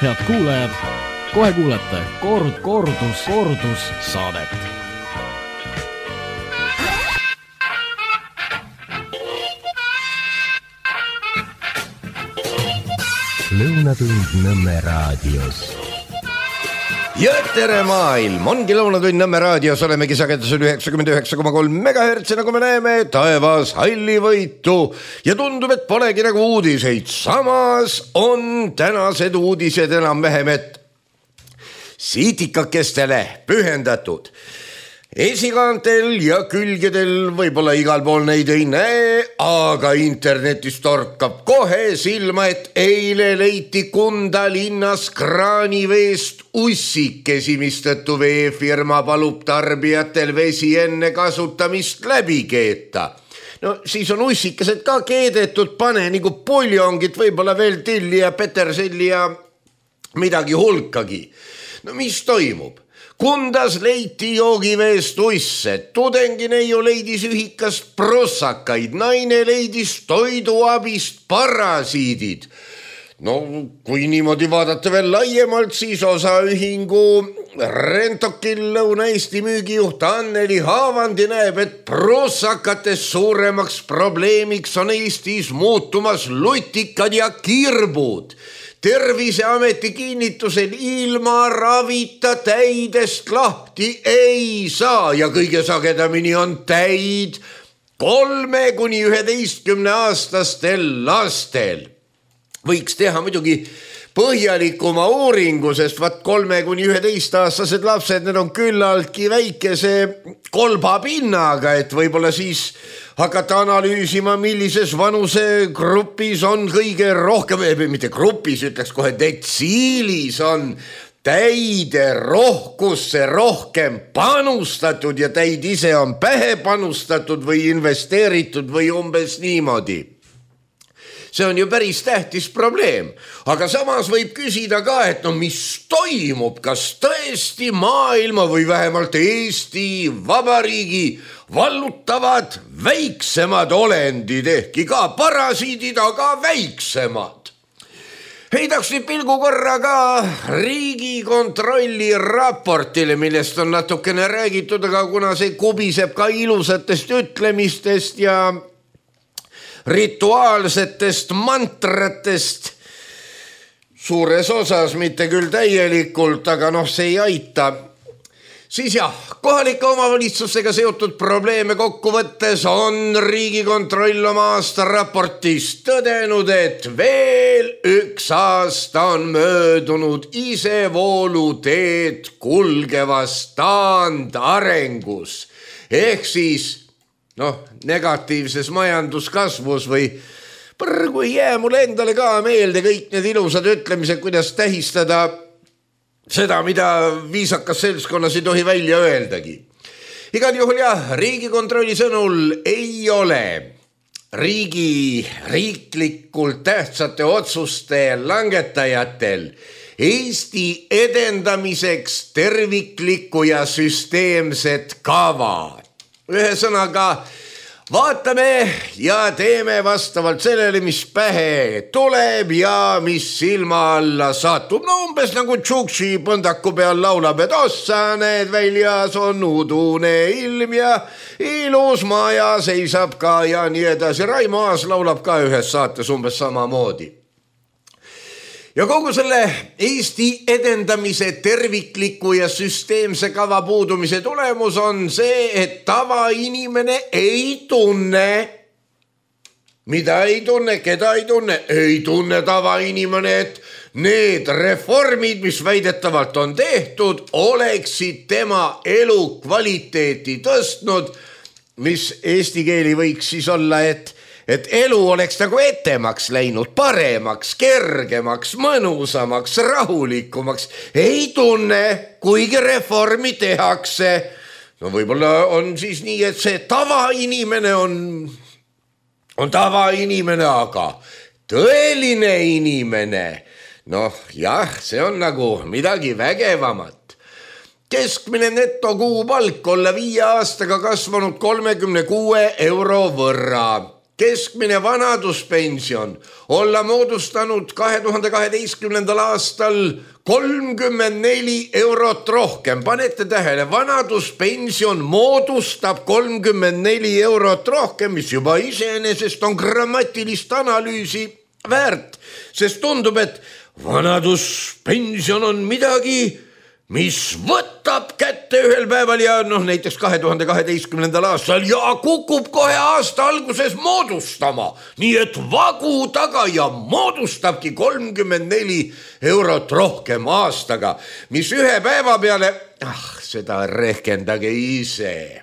Head kuulajad, kohe kuulete kordus saadet. Lõunatund Nõmme raadios. Ja tere maailm, ongi Lõunatund Nõmme raadios, olemegi sagedusel 99,3 MHz, nagu me näeme, taevas hallivõitu ja tundub, et polegi nagu uudiseid. Samas on tänased uudised enam-vähem, et siitikakestele pühendatud. Esikaantel ja külgedel võib-olla igal pool neid ei näe, aga internetis torkab kohe silma, et eile leiti Kunda linnas kraaniveest ussikesi, mistõttu veefirma palub tarbijatel vesi enne kasutamist läbi keeta. No siis on ussikesed ka keedetud, pane nagu puljongit, võib-olla veel tilli ja peterselli ja midagi hulkagi. No mis toimub? Kundas leiti joogiveest usse, tudengineiu leidis ühikast prossakaid, naine leidis toiduabist parasiidid. No kui niimoodi vaadata veel laiemalt, siis osaühingu Rentokil Lõuna-Eesti müügijuht Anneli Haavandi näeb, et prossakates suuremaks probleemiks on Eestis muutumas lutikad ja kirbud. Terviseameti kinnitusel ilma ravita täidest lahti ei saa ja kõige sagedamini on täid 3–11-aastastel lastel. Võiks teha muidugi põhjalikuma uuringu, sest 3–11-aastased lapsed, need on küllaltki väikese kolbapinnaga, et võib-olla siis hakata analüüsima, millises vanusegrupis on kõige rohkem, mitte grupis, ütleks kohe detsiilis on täide rohkusse rohkem panustatud ja täid ise on pähe panustatud või investeeritud või umbes niimoodi. See on ju päris tähtis probleem, aga samas võib küsida ka, et no mis toimub, kas tõesti maailma või vähemalt Eesti Vabariigi vallutavad väiksemad olendid, ehkki ka parasiidid, aga väiksemad. Heidaks nüüd pilgu korra ka Riigikontrolli raportile, millest on natukene räägitud, aga kuna see kubiseb ka ilusatest ütlemistest ja rituaalsetest mantratest, suures osas, mitte küll täielikult, aga see ei aita, siis jah, kohalike omavalitsustega seotud probleeme kokkuvõttes on Riigikontroll oma aastaraportis tõdenud, et veel 1 aasta on möödunud isevooluteed kulgevas taandarengus ehk siis negatiivses majanduskasvus või kui jää mulle endale ka meelde kõik need ilusad ütlemised, kuidas tähistada seda, mida viisakas seltskonnas ei tohi välja öeldagi. Igal juhul jah, Riigikontrolli sõnul ei ole riiklikult tähtsate otsuste langetajatel Eesti edendamiseks terviklikku ja süsteemset kava. Ühesõnaga, vaatame ja teeme vastavalt sellele, mis pähe tuleb ja mis silma alla satub. No umbes nagu Tšuksi põndaku peal laulab, et ossa need väljas on udune ilm ja ilus maja seisab ka ja nii edasi. Raimo Aas laulab ka ühes saates umbes samamoodi. Ja kogu selle Eesti edendamise tervikliku ja süsteemse kava puudumise tulemus on see, et tavainimene ei tunne, mida ei tunne, keda ei tunne tavainimene, et need reformid, mis väidetavalt on tehtud, oleksid tema elukvaliteeti tõstnud, mis eesti keeli võiks siis olla, et elu oleks nagu etemaks läinud, paremaks, kergemaks, mõnusamaks, rahulikumaks. Ei tunne, kuigi reformi tehakse. No võib-olla on siis nii, et see tavainimene on tavainimene, aga tõeline inimene, jah, see on nagu midagi vägevamat. Keskmine netokuupalk olla 5 aastaga kasvanud 36 euro võrra. keskmine vanaduspension olla moodustanud 2012. aastal 34 eurot rohkem. Panete tähele, vanaduspension moodustab 34 eurot rohkem, mis juba iseenesest on grammatilist analüüsi väärt, sest tundub, et vanaduspension on midagi, mis võtab kätte ühel päeval ja näiteks 2012. aastal ja kukub kohe aasta alguses moodustama. Nii et vagu taga ja moodustabki 34 eurot rohkem aastaga, mis ühe päeva peale, seda rehkendage ise.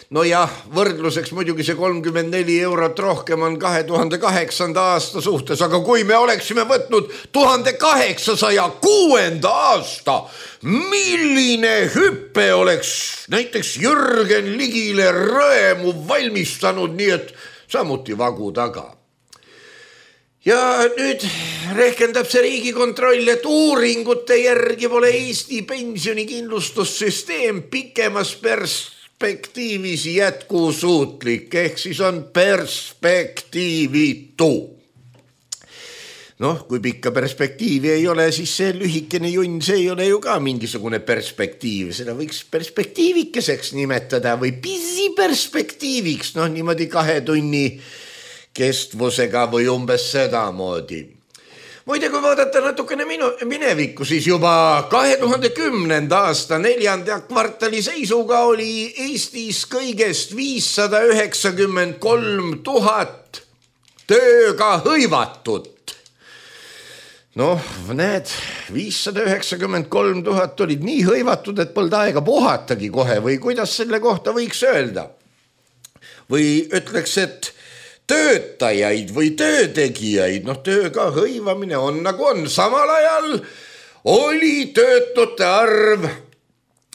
No jah, võrdluseks muidugi see 34 eurot rohkem on 2008. aasta suhtes, aga kui me oleksime võtnud 1806. aasta, milline hüppe oleks näiteks Jürgen Ligile rõemu valmistanud, nii et samuti vagu taga. Ja nüüd rehkendab see Riigikontroll, et uuringute järgi pole Eesti pensionikindlustussüsteem pikemas perspektiivis jätkusuutlik, ehk siis on perspektiivitu. Kui pikka perspektiivi ei ole, siis see lühikene junn, see ei ole ju ka mingisugune perspektiiv. Seda võiks perspektiivikeseks nimetada või pisiperspektiiviks, niimoodi 2 tunni kestvusega või umbes sedamoodi. Muide, kui vaadata natukene minevikku, siis juba 2010. aasta 4. kvartali seisuga oli Eestis kõigest 593 000 tööga hõivatut. Näed, 593 000 olid nii hõivatud, et polnud aega puhatagi kohe või kuidas selle kohta võiks öelda? Või ütleks, et töötajaid või töötegijaid, tööga hõivamine on nagu on. Samal ajal oli töötute arv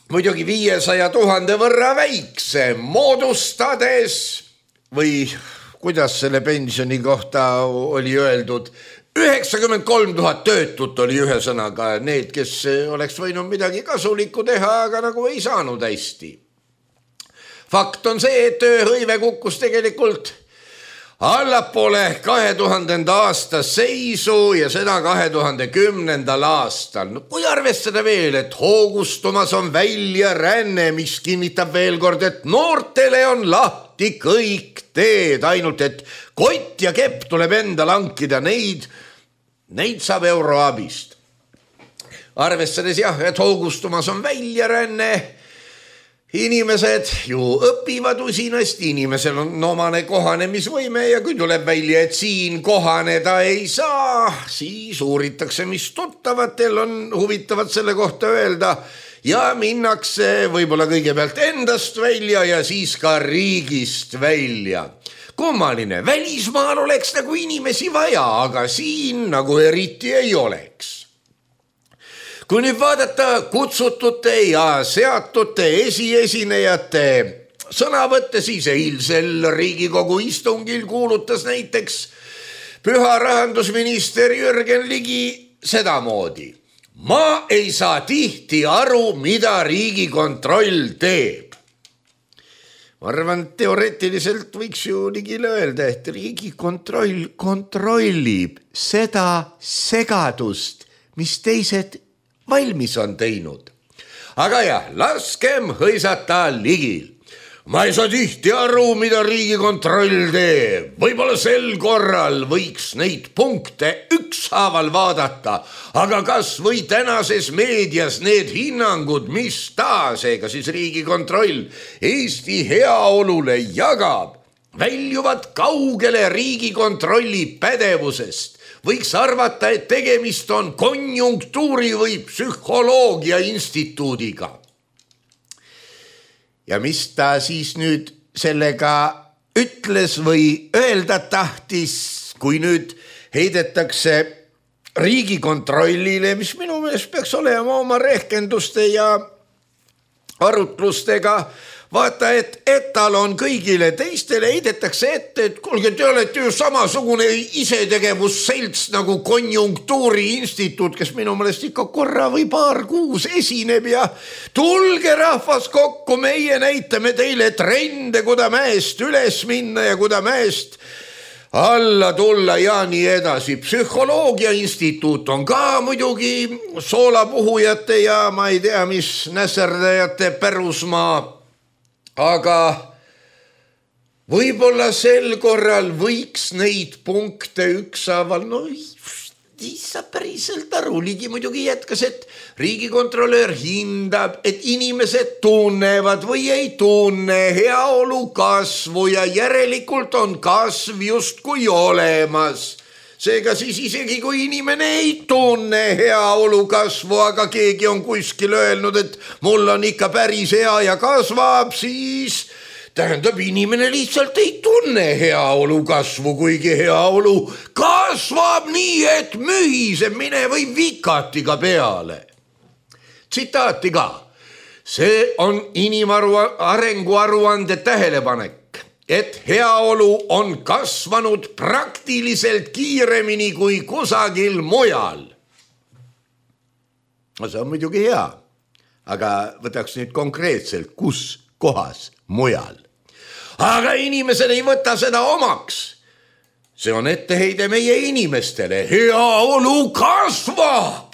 muidugi 500 000 võrra väiksem, moodustades või kuidas selle pensioni kohta oli öeldud, 93 000 töötut oli ühesõnaga need, kes oleks võinud midagi kasulikku teha, aga nagu ei saanud hästi. Fakt on see, et tööhõive kukkus tegelikult allapoole 2000. aasta seisu ja seda 2010. aastal. Kui arvestada veel, et hoogustumas on väljaränne, mis kinnitab veel kord, et noortele on lahti kõik teed, ainult et kott ja kepp tuleb endal hankida, neid saab euroabist. Arvestades et hoogustumas on väljaränne, inimesed ju õpivad usinasti, inimesel on omane kohanemisvõime ja kui tuleb välja, et siin kohaneda ei saa, siis uuritakse, mis tuttavatel on huvitavat selle kohta öelda ja minnakse võib-olla kõigepealt endast välja ja siis ka riigist välja. Kummaline, välismaal oleks nagu inimesi vaja, aga siin nagu eriti ei oleks. Kui nüüd vaadata kutsutute ja seatute esiesinejate sõnavõtte, siis eilsel Riigikogu istungil kuulutas näiteks püha rahandusminister Jürgen Ligi sedamoodi. Ma ei saa tihti aru, mida Riigikontroll teeb. Ma arvan, teoreetiliselt võiks ju Ligile öelda, et Riigikontroll kontrollib seda segadust, mis teised valmis on teinud. Aga jah, laskem hõisata Ligil. Ma ei saa tihti aru, mida Riigikontroll teeb. Võib-olla sel korral võiks neid punkte ükshaaval vaadata, aga kas või tänases meedias need hinnangud, mis seega siis Riigikontroll Eesti heaolule jagab, väljuvad kaugele Riigikontrolli pädevusest. Võiks arvata, et tegemist on konjunktuuri või psühholoogia instituudiga. Ja mis ta siis nüüd sellega ütles või öelda tahtis, kui nüüd heidetakse Riigikontrollile, mis minu meelest peaks olema oma rehkenduste ja arutlustega vaata, et etal on kõigile teistele heidetakse ette, et kuulge, te olete ju samasugune isetegevusselts nagu Konjunktuuriinstituut, kes minu meelest ikka korra või paar kuus esineb ja tulge rahvas kokku, meie näitame teile trende, kuda mäest üles minna ja kuda mäest alla tulla ja nii edasi. Psühholoogia instituut on ka muidugi soolapuhujate ja ma ei tea, mis nässerdajate pärusmaa, aga võib-olla sel korral võiks neid punkte ükshaaval, no ei saa päriselt aru. Ligi muidugi jätkas, et riigikontrolöör hindab, et inimesed tunnevad või ei tunne heaolu kasvu ja järelikult on kasv justkui olemas. Seega siis isegi kui inimene ei tunne heaolu kasvu, aga keegi on kuskil öelnud, et mul on ikka päris hea ja kasvab, siis tähendab, inimene lihtsalt ei tunne heaolu kasvu, kuigi heaolu kasvab nii, et mühiseb, mine või vikatiga peale. Tsitaati ka. See on inimarengu aruande tähelepanek, et heaolu on kasvanud praktiliselt kiiremini kui kusagil mujal. No see on muidugi hea, aga võtaks nüüd konkreetselt, kus kohas mujal. Aga inimesed ei võta seda omaks. See on etteheide meie inimestele. Heaolu kasvab,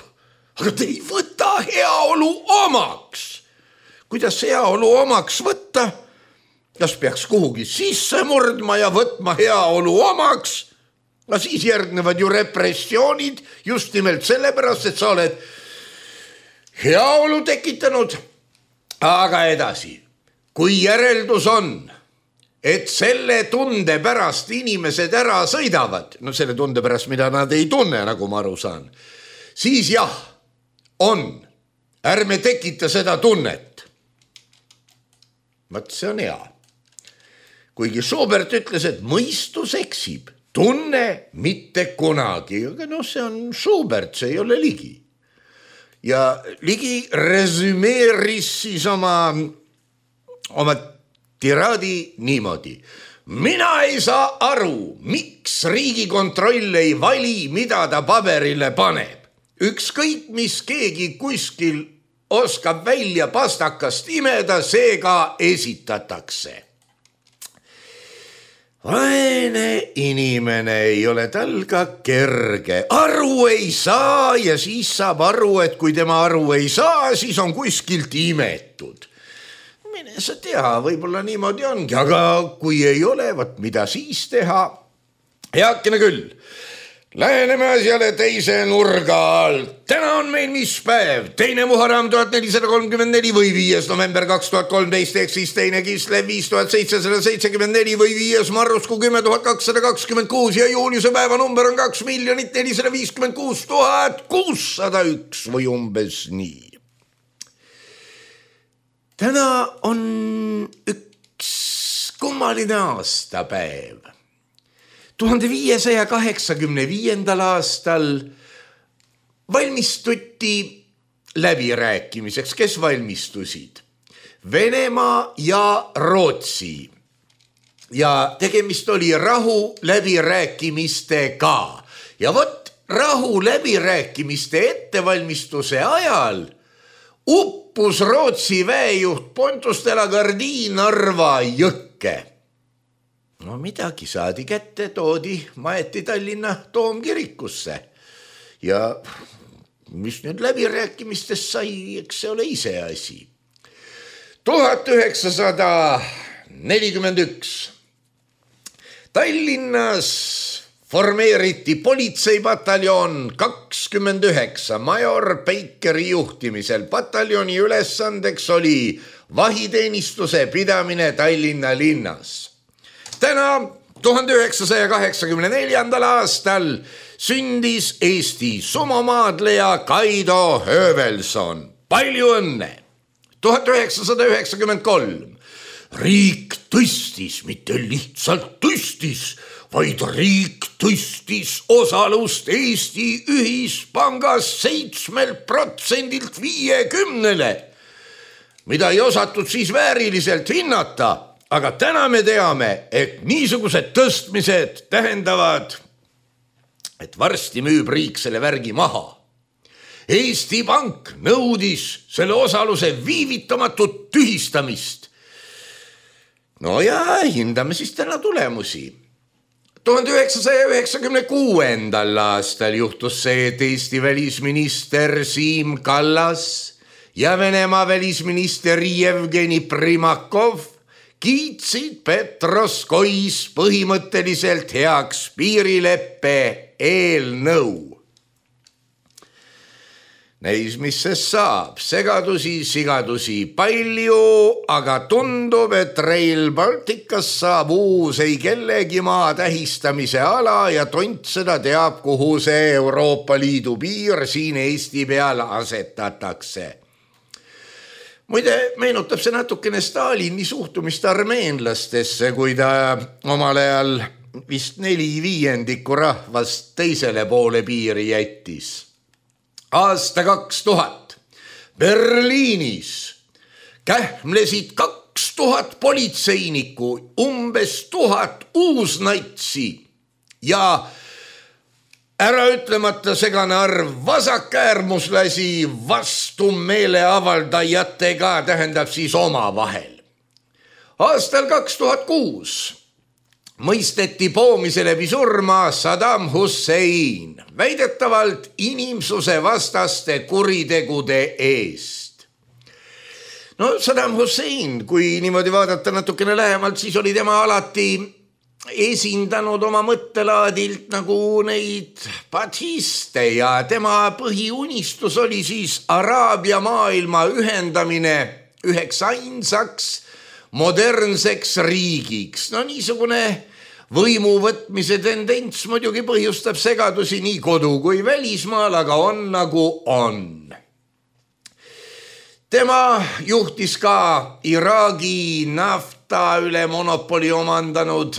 aga te ei võta heaolu omaks. Kuidas heaolu omaks võtta? Kas peaks kuhugi sisse murdma ja võtma heaolu omaks? No siis järgnevad ju repressioonid just nimelt sellepärast, et sa oled heaolu tekitanud. Aga edasi, kui järeldus on, et selle tunde pärast inimesed ära sõidavad, no selle tunde pärast, mida nad ei tunne, nagu ma aru saan, siis jah, on. Ärme tekita seda tunnet. Vaat see on hea. Kuigi Schubert ütles, et mõistus eksib, tunne mitte kunagi, aga no see on Schubert, see ei ole Ligi. Ja Ligi resümeeris siis oma tiraadi niimoodi. Mina ei saa aru, miks Riigikontroll ei vali, mida ta paberile paneb. Ükskõik, mis keegi kuskil oskab välja pastakast imeda, seega esitatakse. Vaene inimene, ei ole tal ka kerge. Aru ei saa ja siis saab aru, et kui tema aru ei saa, siis on kuskilt imetud. Mine sa tea, võib-olla niimoodi ongi, aga kui ei ole, võt mida siis teha? Heakene küll, läheneme asjale teise nurga alt. Täna on meil mis päev? 2. Muharram 1434 või 5. november 2013, ehk siis 2. Kislev 5774 või 5. Marrusku 10226 ja juuliuse päeva number on 2 456 601 või umbes nii. Täna on üks kummaline aastapäev. 1585. aastal valmistuti läbirääkimiseks. Kes valmistusid? Venemaa ja Rootsi. Ja tegemist oli rahu läbirääkimistega. Ja vot rahu läbirääkimiste ettevalmistuse ajal uppus Rootsi väejuht Pontus de la Gardie Narva jõkke. No midagi saadi kätte, toodi, maeti Tallinna Toomkirikusse. Ja mis nüüd läbirääkimistest sai, eks see ole ise asi. 1941 Tallinnas formeeriti politseipataljon 29 major Peikeri juhtimisel. Pataljoni ülesandeks oli vahiteenistuse pidamine Tallinna linnas. Täna 1984. aastal sündis Eesti sumomaadleja Kaido Höövelson. Palju õnne! 1993 riik tõstis, mitte lihtsalt tõstis, vaid riik tõstis osalust Eesti ühispangas 7% 50%. mida ei osatud siis vääriliselt hinnata, aga täna me teame, et niisugused tõstmised tähendavad, et varsti müüb riik selle värgi maha. Eesti Pank nõudis selle osaluse viivitamatut tühistamist. No ja hindame siis täna tulemusi. 1996. aastal juhtus see, et Eesti välisminister Siim Kallas ja Venemaa välisminister Jevgeni Primakov kiitsid Petroskois põhimõtteliselt heaks piirileppe eelnõu. Neis, mis sest saab, segadusi, sigadusi palju, aga tundub, et Rail Balticas saab uus ei kellegi maa tähistamise ala ja tont seda teab, kuhu see Euroopa Liidu piir siin Eesti peal asetatakse. Muide, meenutab see natukene Stalini suhtumist armeenlastesse, kui ta omal ajal vist 4/5 rahvast teisele poole piiri jättis. Aasta 2000 Berliinis kähmlesid 2000 politseinikku, umbes 1000 uusnatsi ja äraütlemata segane arv vasakäärmuslasi vastu meeleavaldajatega, tähendab siis omavahel. Aastal 2006 mõisteti poomise läbi surma Saddam Hussein, väidetavalt inimsuse vastaste kuritegude eest. No Saddam Hussein, kui niimoodi vaadata natukene lähemalt, siis oli tema alati esindanud oma mõttelaadilt nagu neid bathiste ja tema põhiunistus oli siis Araabia maailma ühendamine üheks ainsaks modernseks riigiks. No niisugune võimu võtmise tendents muidugi põhjustab segadusi nii kodu kui välismaal, aga on nagu on. Tema juhtis ka Iraagi nafta üle monopoli omandanud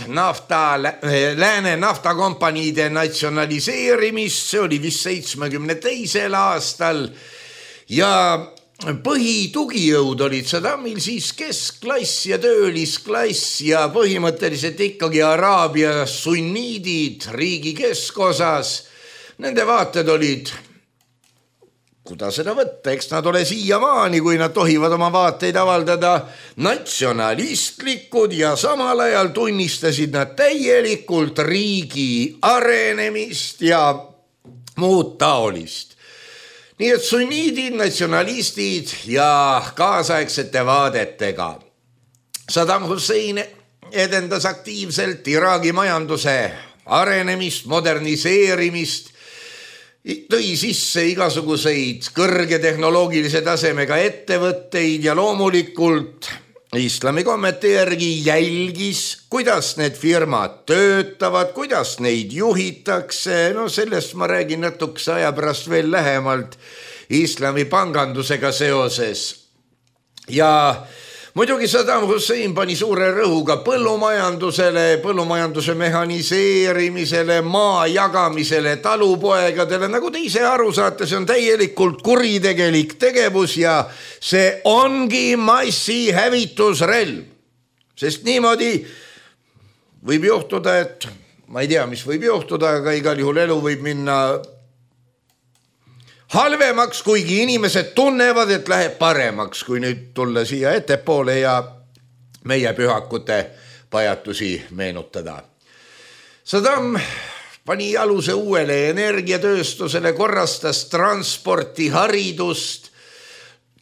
lääne naftakompaniide natsionaliseerimist, see oli vist 72. aastal ja põhitugijõud olid Saddamil siis keskklass ja töölisklass ja põhimõtteliselt ikkagi Araabia sunniidid riigi keskosas. Nende vaated olid, kuidas seda võtta, eks nad ole siiamaani, kui nad tohivad oma vaateid avaldada, natsionalistlikud ja samal ajal tunnistasid nad täielikult riigi arenemist ja muud taolist. Nii et sunniidid, natsionalistid ja kaasaegsete vaadetega. Saddam Hussein edendas aktiivselt Iraagi majanduse arenemist, moderniseerimist, tõi sisse igasuguseid kõrge tehnoloogilise tasemega ettevõtteid ja loomulikult islami kommete järgi jälgis, kuidas need firmad töötavad, kuidas neid juhitakse. No sellest ma räägin natukese aja pärast veel lähemalt islami pangandusega seoses. Ja muidugi Saddam Hussein pani suure rõhuga põllumajandusele, põllumajanduse mehhaniseerimisele, maa jagamisele talupoegadele. Nagu te ise aru saate, see on täielikult kuritegelik tegevus ja see ongi massihävitusrelv. Sest niimoodi võib juhtuda, et ma ei tea, mis võib juhtuda, aga igal juhul elu võib minna halvemaks, kuigi inimesed tunnevad, et läheb paremaks, kui nüüd tulla siia ettepoole ja meie pühakute pajatusi meenutada. Saddam pani aluse uuele energiatööstusele, korrastas transporti, haridust,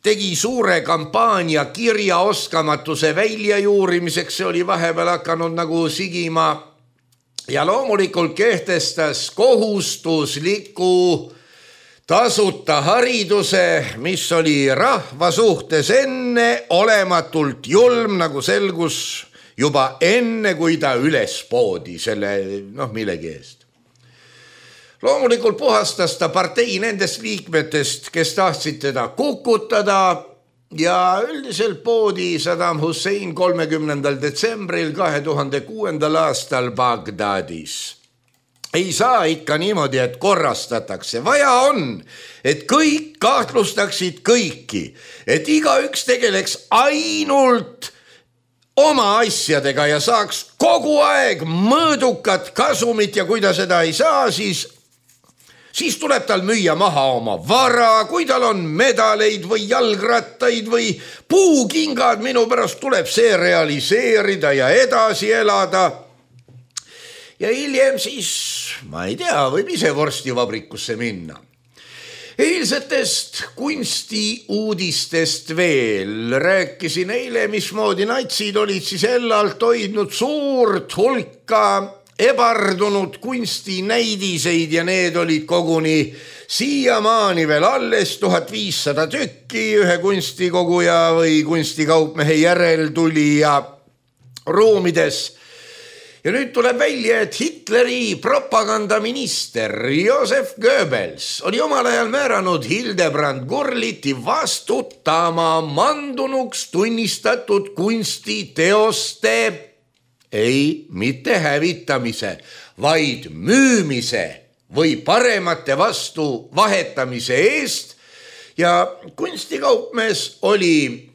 tegi suure kampaania kirjaoskamatuse väljajuurimiseks, see oli vahepeal hakanud nagu sigima ja loomulikult kehtestas kohustusliku tasuta hariduse, mis oli rahva suhtes enne olematult julm, nagu selgus juba enne, kui ta üles poodi selle millegi eest. Loomulikult puhastas ta partei nendest liikmetest, kes tahtsid teda kukutada ja üldiselt poodi Saddam Hussein 30. detsembril 2006. aastal Bagdadis. ei saa ikka niimoodi, et korrastatakse. Vaja on, et kõik kahtlustaksid kõiki, et igaüks tegeleks ainult oma asjadega ja saaks kogu aeg mõõdukat kasumit ja kui ta seda ei saa, siis tuleb tal müüa maha oma vara, kui tal on medaleid või jalgrattaid või puukingad, minu pärast tuleb see realiseerida ja edasi elada. Ja hiljem siis, ma ei tea, võib ise vorstivabrikusse minna. Eilsetest kunstiuudistest veel rääkisin eile, mismoodi natsid olid siis Ellalt hoidnud suurt hulka ebardunud kunstinäidiseid ja need olid koguni siiamaani veel alles 1500 tükki ühe kunstikoguja või kunstikaupmehe järeltulija ruumides. Ja nüüd tuleb välja, et Hitleri propagandaminister Josef Goebbels oli omal ajal määranud Hildebrand Gurliti vastutama mandunuks tunnistatud kunstiteoste mitte hävitamise, vaid müümise või paremate vastu vahetamise eest ja kunstikaupmees oli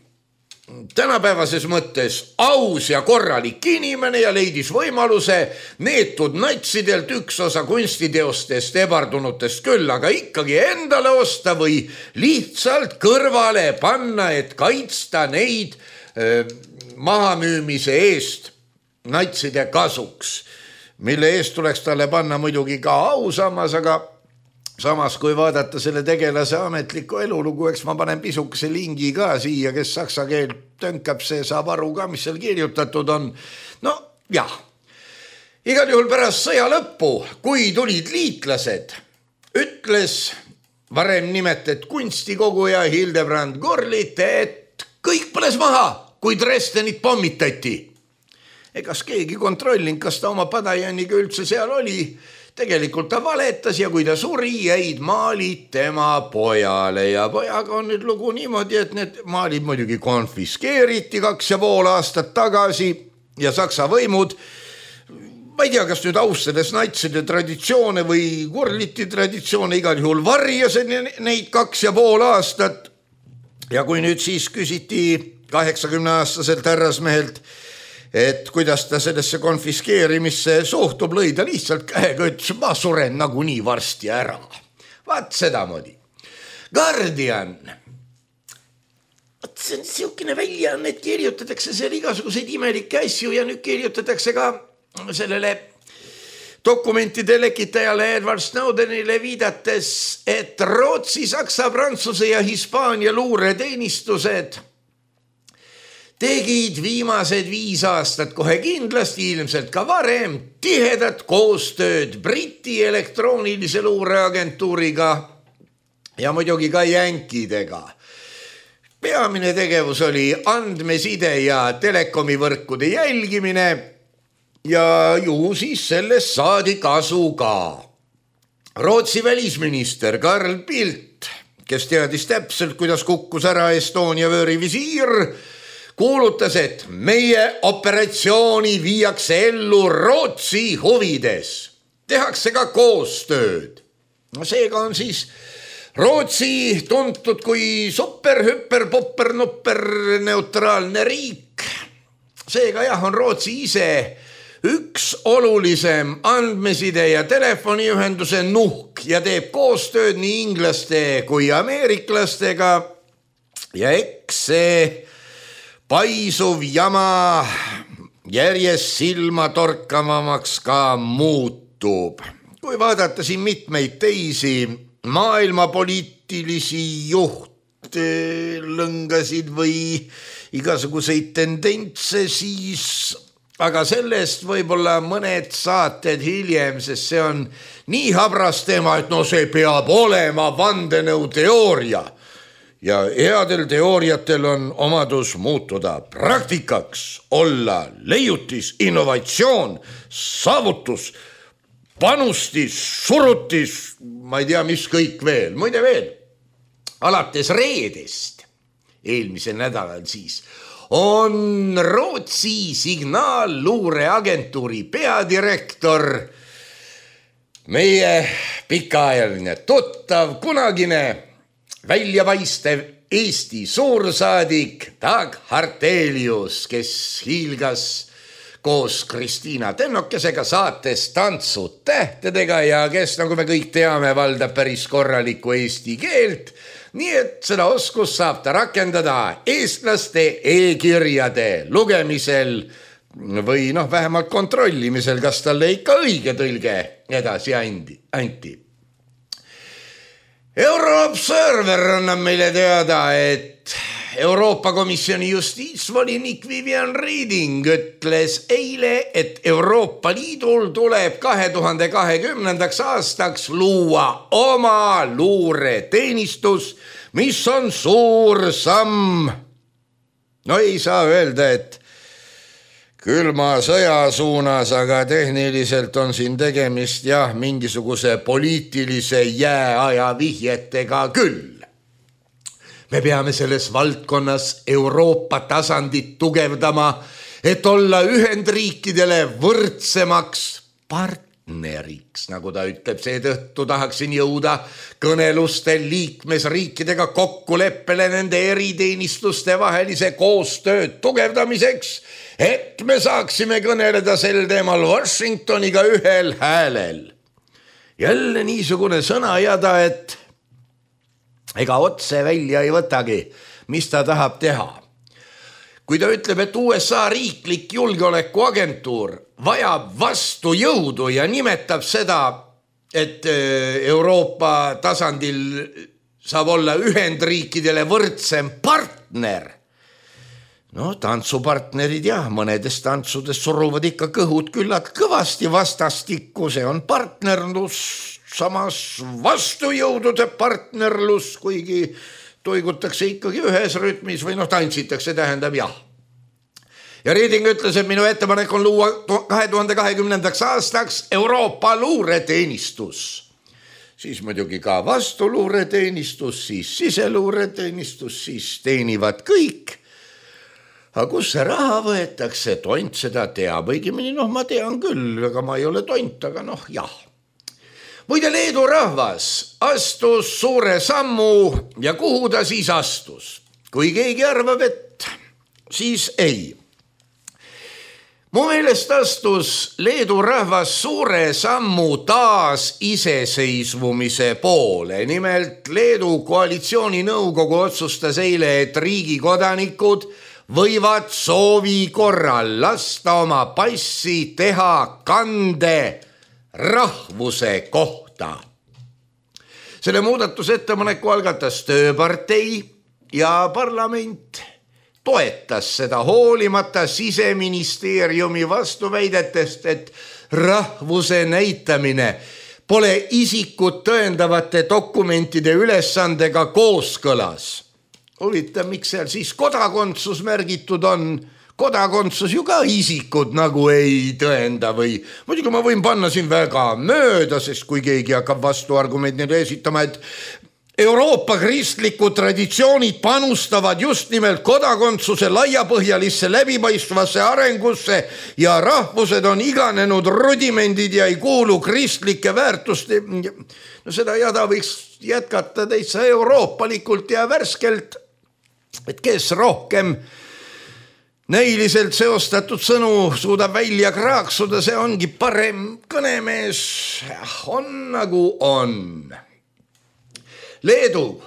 tänapäevases mõttes aus ja korralik inimene ja leidis võimaluse neetud natsidelt üks osa kunstiteostest ebardunutest küll, aga ikkagi endale osta või lihtsalt kõrvale panna, et kaitsta neid mahamüümise eest natside kasuks, mille eest tuleks talle panna muidugi ka ausammas, aga samas, kui vaadata selle tegelase ametlikku elulugu, eks ma panen pisukese lingi ka siia, kes saksa keelt tönkab, see saab aru ka, mis seal kirjutatud on. No jah, igal juhul pärast sõja lõppu, kui tulid liitlased, ütles varem nimetatud kunstikoguja Hildebrand Gurlit, et kõik põles maha, kui Dresdenit pommitati. Egas keegi kontrollinud, kas ta oma padajaniga üldse seal oli. Tegelikult ta valetas ja kui ta suri, jäid maalid tema pojale ja pojaga on nüüd lugu niimoodi, et need maalid muidugi konfiskeeriti 2,5 aastat tagasi ja saksa võimud, ma ei tea, kas nüüd austades natside traditsioone või Gurliti traditsioone, igal juhul varjas neid 2,5 aastat ja kui nüüd siis küsiti 80-aastaselt härrasmehelt, et kuidas ta sellesse konfiskeerimisse suhtub, lõi ta lihtsalt käega, ütles, ma suren nagunii varsti ära. Vaat sedamoodi. Guardian. See on siukene väljaanne, et kirjutatakse seal igasuguseid imelikke asju ja nüüd kirjutatakse ka sellele dokumentide lekitajale Edward Snowdenile viidates, et Rootsi, Saksa, Prantsuse ja Hispaania luureteenistused tegid viimased 5 aastat kohe kindlasti, ilmselt ka varem, tihedat koostööd Briti elektroonilise luureagentuuriga ja muidugi ka jänkidega. Peamine tegevus oli andmeside ja telekomivõrkude jälgimine ja ju siis sellest saadi kasu ka. Rootsi välisminister Carl Bildt, kes teadis täpselt, kuidas kukkus ära Estonia vöörivisiir, kuulutas, et meie operatsiooni viiakse ellu Rootsi huvides. Tehakse ka koostööd. Seega on siis Rootsi tuntud kui super, hüper, popper, nopper, neutraalne riik. Seega jah, on Rootsi ise üks olulisem andmeside ja telefoniühenduse nuhk ja teeb koostööd nii inglaste kui ameeriklastega ja eks see paisuv jama järjest silma torkavamaks ka muutub. Kui vaadata siin mitmeid teisi maailmapoliitilisi juhtlõngasid või igasuguseid tendentse, siis aga sellest võib-olla mõned saated hiljem, sest see on nii habras teema, et no see peab olema vandenõuteooria. Ja headel teooriatel on omadus muutuda praktikaks, olla leiutis, innovatsioon, saavutus, panustis, surutis, ma ei tea, mis kõik veel. Muide veel, alates reedest, eelmisel nädalal siis, on Rootsi signaalluureagentuuri peadirektor meie pikaajaline tuttav, kunagine väljapaistev Eesti suursaadik Dag Hartelius, kes hiilgas koos Kristiina Tennokesega saates Tantsud tähtedega ja kes, nagu me kõik teame, valdab päris korralikku eesti keelt, nii et seda oskust saab ta rakendada eestlaste e-kirjade lugemisel või vähemalt kontrollimisel, kas talle ikka õige tõlge edasi anti. Euroobserver annab meile teada, et Euroopa Komisjoni justiitsvolinik Vivian Reding ütles eile, et Euroopa Liidul tuleb 2020. aastaks luua oma luureteenistus, mis on suur samm. No ei saa öelda, et külma sõja suunas, aga tehniliselt on siin tegemist mingisuguse poliitilise jääaja vihjetega küll. Me peame selles valdkonnas Euroopa tasandit tugevdama, et olla Ühendriikidele võrdsemaks partneriks, nagu ta ütleb. Seetõttu tahaksin jõuda kõnelustel liikmesriikidega kokkuleppele nende eriteenistuste vahelise koostööd tugevdamiseks, et me saaksime kõneleda sel teemal Washingtoniga ühel häälel. Jälle niisugune sõnajada, et ega otse välja ei võtagi, mis ta tahab teha. Kui ta ütleb, et USA riiklik julgeolekuagentuur vajab vastujõudu ja nimetab seda, et Euroopa tasandil saab olla Ühendriikidele võrdsem partner. Tantsupartnerid mõnedes tantsudes suruvad ikka kõhud küllalt kõvasti vastastikku, see on partnerlus, samas vastujõudude partnerlus, kuigi toigutakse ikkagi ühes rütmis või tantsitakse, tähendab jah. Ja Reding ütles, et minu ettepanek on luua 2020. aastaks Euroopa luureteenistus. Siis muidugi ka vastuluureteenistus, siis siseluureteenistus, siis teenivad kõik. Aga kus see raha võetakse, tont seda teab, õigemini ma tean küll, aga ma ei ole tont, aga jah. Muide, Leedu rahvas astus suure sammu ja kuhu ta siis astus? Kui keegi arvab, et siis ei. Mu meelest astus Leedu rahvas suure sammu taas iseseisvumise poole. Nimelt Leedu koalitsiooninõukogu otsustas eile, et riigi kodanikud võivad soovi korral lasta oma passi teha kande rahvuse kohta. Selle muudatusettepaneku algatas Tööpartei ja parlament toetas seda hoolimata Siseministeeriumi vastuväidetest, et rahvuse näitamine pole isikut tõendavate dokumentide ülesandega kooskõlas. Huvitav, miks seal siis kodakondsus märgitud on? Kodakondsus ju ka isikud nagu ei tõenda või muidugi ma võin panna siin väga mööda, sest kui keegi hakkab vastuargumendina esitama, et Euroopa kristlikud traditsioonid panustavad just nimelt kodakondsuse laiapõhjalisse läbipaistvasse arengusse ja rahvused on iganenud rudimendid ja ei kuulu kristlike väärtuste. Seda jada võiks jätkata täitsa euroopalikult ja värskelt, et kes rohkem näiliselt seostatud sõnu suudab välja kraaksuda, see ongi parem kõnemees, on nagu on. Leedu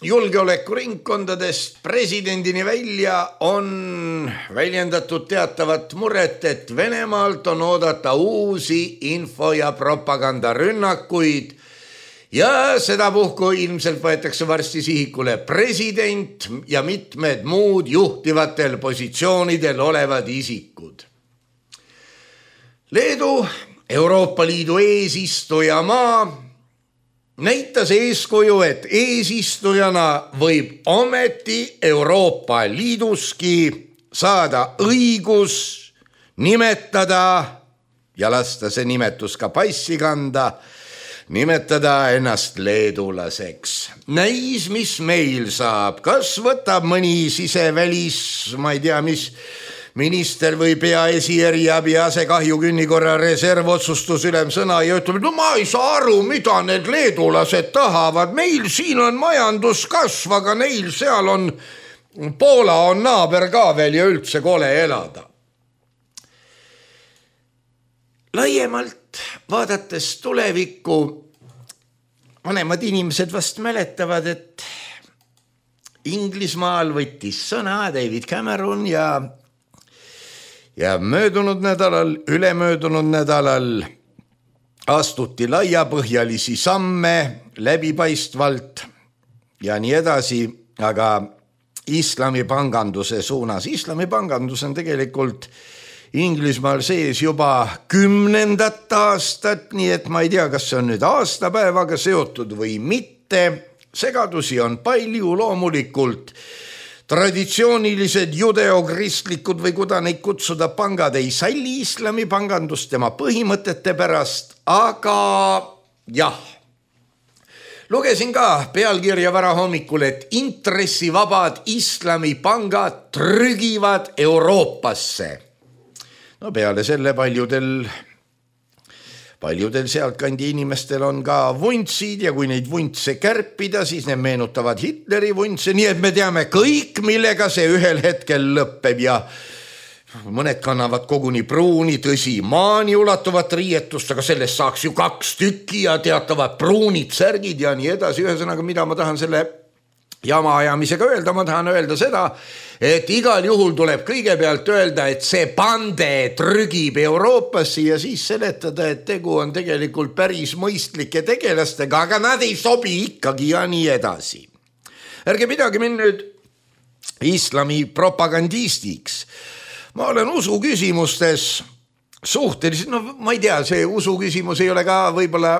julgeolekuringkondadest presidendini välja on väljendatud teatavat muret, et Venemaalt on oodata uusi info- ja propagandarünnakuid ja sedapuhku ilmselt võetakse varsti sihikule president ja mitmed muud juhtivatel positsioonidel olevad isikud. Leedu, Euroopa Liidu eesistujamaa, näitas eeskuju, et eesistujana võib ometi Euroopa Liiduski saada õigus nimetada ja lasta see nimetus ka passi kanda, nimetada ennast leedulaseks. Näis, mis meil saab, kas võtab mõni sisevälis, ma ei tea, minister või peaesieriabi asekahjukünnikorra reservotsustusülem sõna ja ütleb, no ma ei saa aru, mida need leedulased tahavad, meil siin on majanduskasv, aga neil seal on, Poola on naaber ka veel ja üldse kole elada. Laiemalt vaadates tulevikku, vanemad inimesed vast mäletavad, et Inglismaal võttis sõna David Cameron ja möödunud nädalal, ülemöödunud nädalal astuti laiapõhjalisi samme läbipaistvalt ja nii edasi, aga islamipanganduse suunas. Islamipangandus on tegelikult Inglismaal sees juba 10. aastat, nii et ma ei tea, kas see on nüüd aastapäevaga seotud või mitte. Segadusi on palju, loomulikult traditsioonilised judeokristlikud või kuda neid kutsuda pangad ei salli islamipangandust tema põhimõtete pärast, aga jah. Lugesin ka pealkirja varahommikul, et intressivabad islamipangad trügivad Euroopasse. No peale selle paljudel sealtkandi inimestel on ka vuntsid ja kui neid vuntse kärpida, siis need meenutavad Hitleri vuntse, nii et me teame kõik, millega see ühel hetkel lõppeb ja mõned kannavad koguni pruuni, tõsi, maani ulatuvat riietust, aga sellest saaks ju 2 tükki ja teatavad pruunid särgid ja nii edasi. Ühesõnaga, mida ma tahan selle jama ajamisega öelda, ma tahan öelda seda, et igal juhul tuleb kõigepealt öelda, et see pande trügib Euroopasse ja siis seletada, et tegu on tegelikult päris mõistlike tegelastega, aga nad ei sobi ikkagi ja nii edasi. Ärge pidage mind nüüd islami propagandistiks. Ma olen usu küsimustes suhteliselt, no ma ei tea, see usu küsimus ei ole ka võib-olla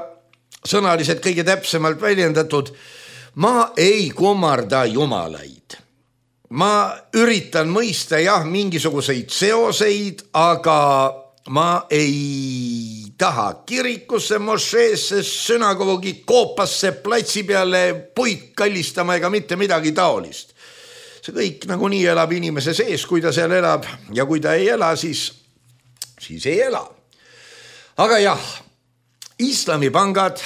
sõnaliselt kõige täpsemalt väljendatud. Ma ei kummarda jumalaid. Ma üritan mõista mingisuguseid seoseid, aga ma ei taha kirikusse, mošeesse, sünagoogi, koopasse, platsi peale puid kallistama ega mitte midagi taolist. See kõik nagunii elab inimese sees, kui ta seal elab ja kui ta ei ela, siis ei ela. Aga jah, islamipangad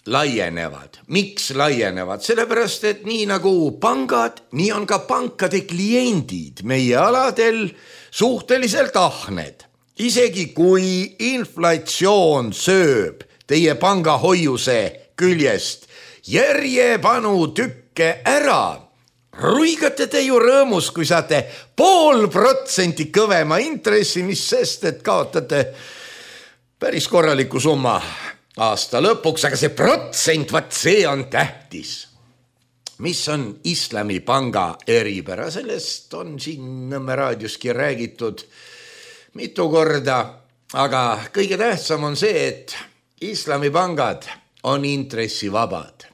laienevad. Miks laienevad? Sellepärast, et nii nagu pangad, nii on ka pankade kliendid meie aladel suhteliselt ahned. Isegi kui inflatsioon sööb teie pangahoiuse küljest järjepanu tükke ära, ruigate te ju rõõmus, kui saate 0,5% kõvema intressi, mis sest, et kaotate päris korraliku summa aasta lõpuks, aga see protsent, vaat see on tähtis. Mis on islamipanga eripära? Sellest on siin Nõmme raadioski räägitud mitu korda, aga kõige tähtsam on see, et islamipangad on intressivabad.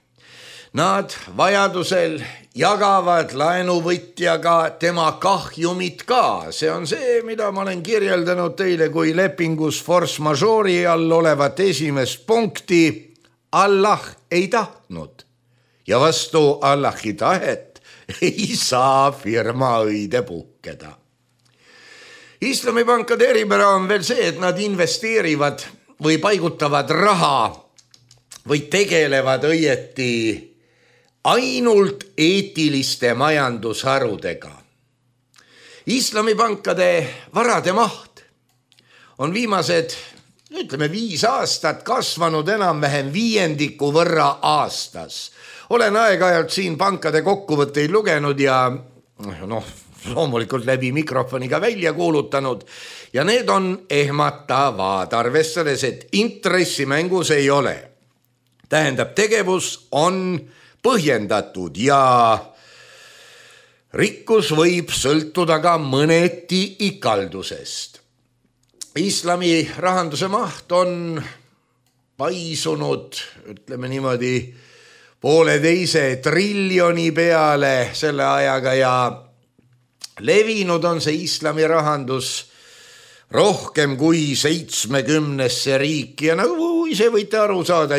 Nad vajadusel jagavad laenuvõtjaga tema kahjumit ka. See on see, mida ma olen kirjeldanud teile kui lepingus force majeure'i all olevat esimest punkti. Allah ei tahtnud ja vastu Allahi tahet ei saa firma õide puhkeda. Islamipankade eripära on veel see, et nad investeerivad või paigutavad raha või tegelevad õieti ainult eetiliste majandusharudega. Islamipankade varade maht on viimased, 5 aastat kasvanud enam-vähem 5% võrra aastas. Olen aeg-ajalt siin pankade kokkuvõtteid lugenud ja loomulikult läbi mikrofoniga välja kuulutanud ja need on ehmatavad, arvestades, et intressimängus ei ole. Tähendab, tegevus on põhjendatud ja rikkus võib sõltuda ka mõneti ikaldusest. Islami rahanduse maht on paisunud, ütleme niimoodi, 1,5 triljoni peale selle ajaga ja levinud on see islami rahandus rohkem kui 70 riiki ja nagu ise võite aru saada,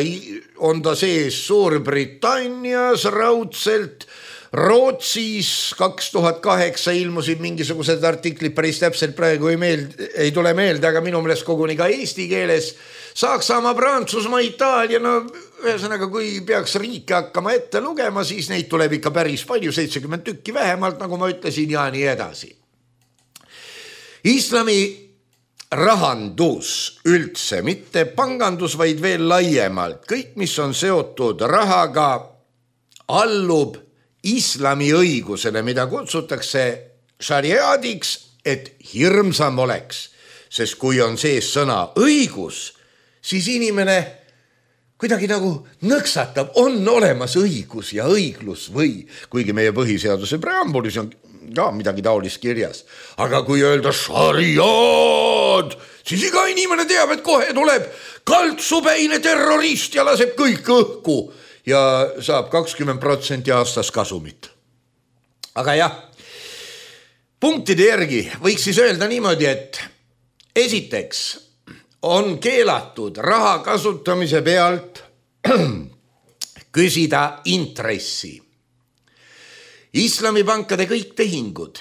on ta sees Suurbritannias raudselt, Rootsis 2008 ilmusid mingisugused artiklid, päris täpselt praegu ei tule meelde, aga minu meelest koguni ka eesti keeles. Saksamaa, Prantsusmaa, Itaalia, no ühesõnaga, kui peaks riike hakkama ette lugema, siis neid tuleb ikka päris palju, 70 tükki vähemalt, nagu ma ütlesin, ja nii edasi. Islami rahandus üldse, mitte pangandus, vaid veel laiemalt. Kõik, mis on seotud rahaga, allub islami õigusele, mida kutsutakse šariaadiks, et hirmsam oleks. Sest kui on sees sõna õigus, siis inimene kuidagi nagu nõksatab, on olemas õigus ja õiglus või, kuigi meie põhiseaduse preambulis on ka midagi taolist kirjas. Aga kui öelda šariaad, siis iga inimene teab, et kohe tuleb kaltsupäine terrorist ja laseb kõik õhku ja saab 20% aastas kasumit. Aga jah, punktide järgi võiks siis öelda niimoodi, et esiteks on keelatud raha kasutamise pealt küsida intressi. Islamipankade kõik tehingud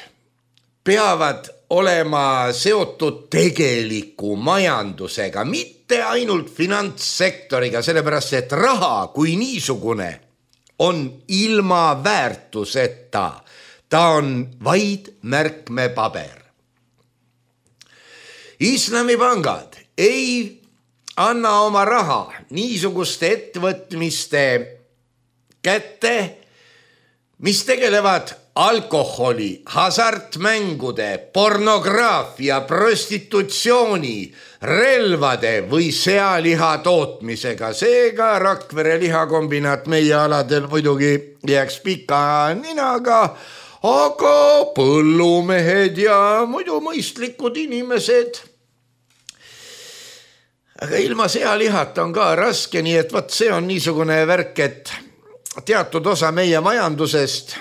peavad olema seotud tegeliku majandusega, mitte ainult finantssektoriga, sellepärast et raha kui niisugune on ilma väärtuseta. Ta on vaid märkmepaber. Islamipangad ei anna oma raha niisuguste ettevõtmiste kätte, mis tegelevad alkoholi, hasartmängude, pornograafia, prostitutsiooni, relvade või sealiha tootmisega. Seega Rakvere lihakombinaat meie aladel muidugi jääks pika ninaga, aga põllumehed ja muidu mõistlikud inimesed. Aga ilma sealihata on ka raske, nii et võt see on niisugune värk, et teatud osa meie majandusest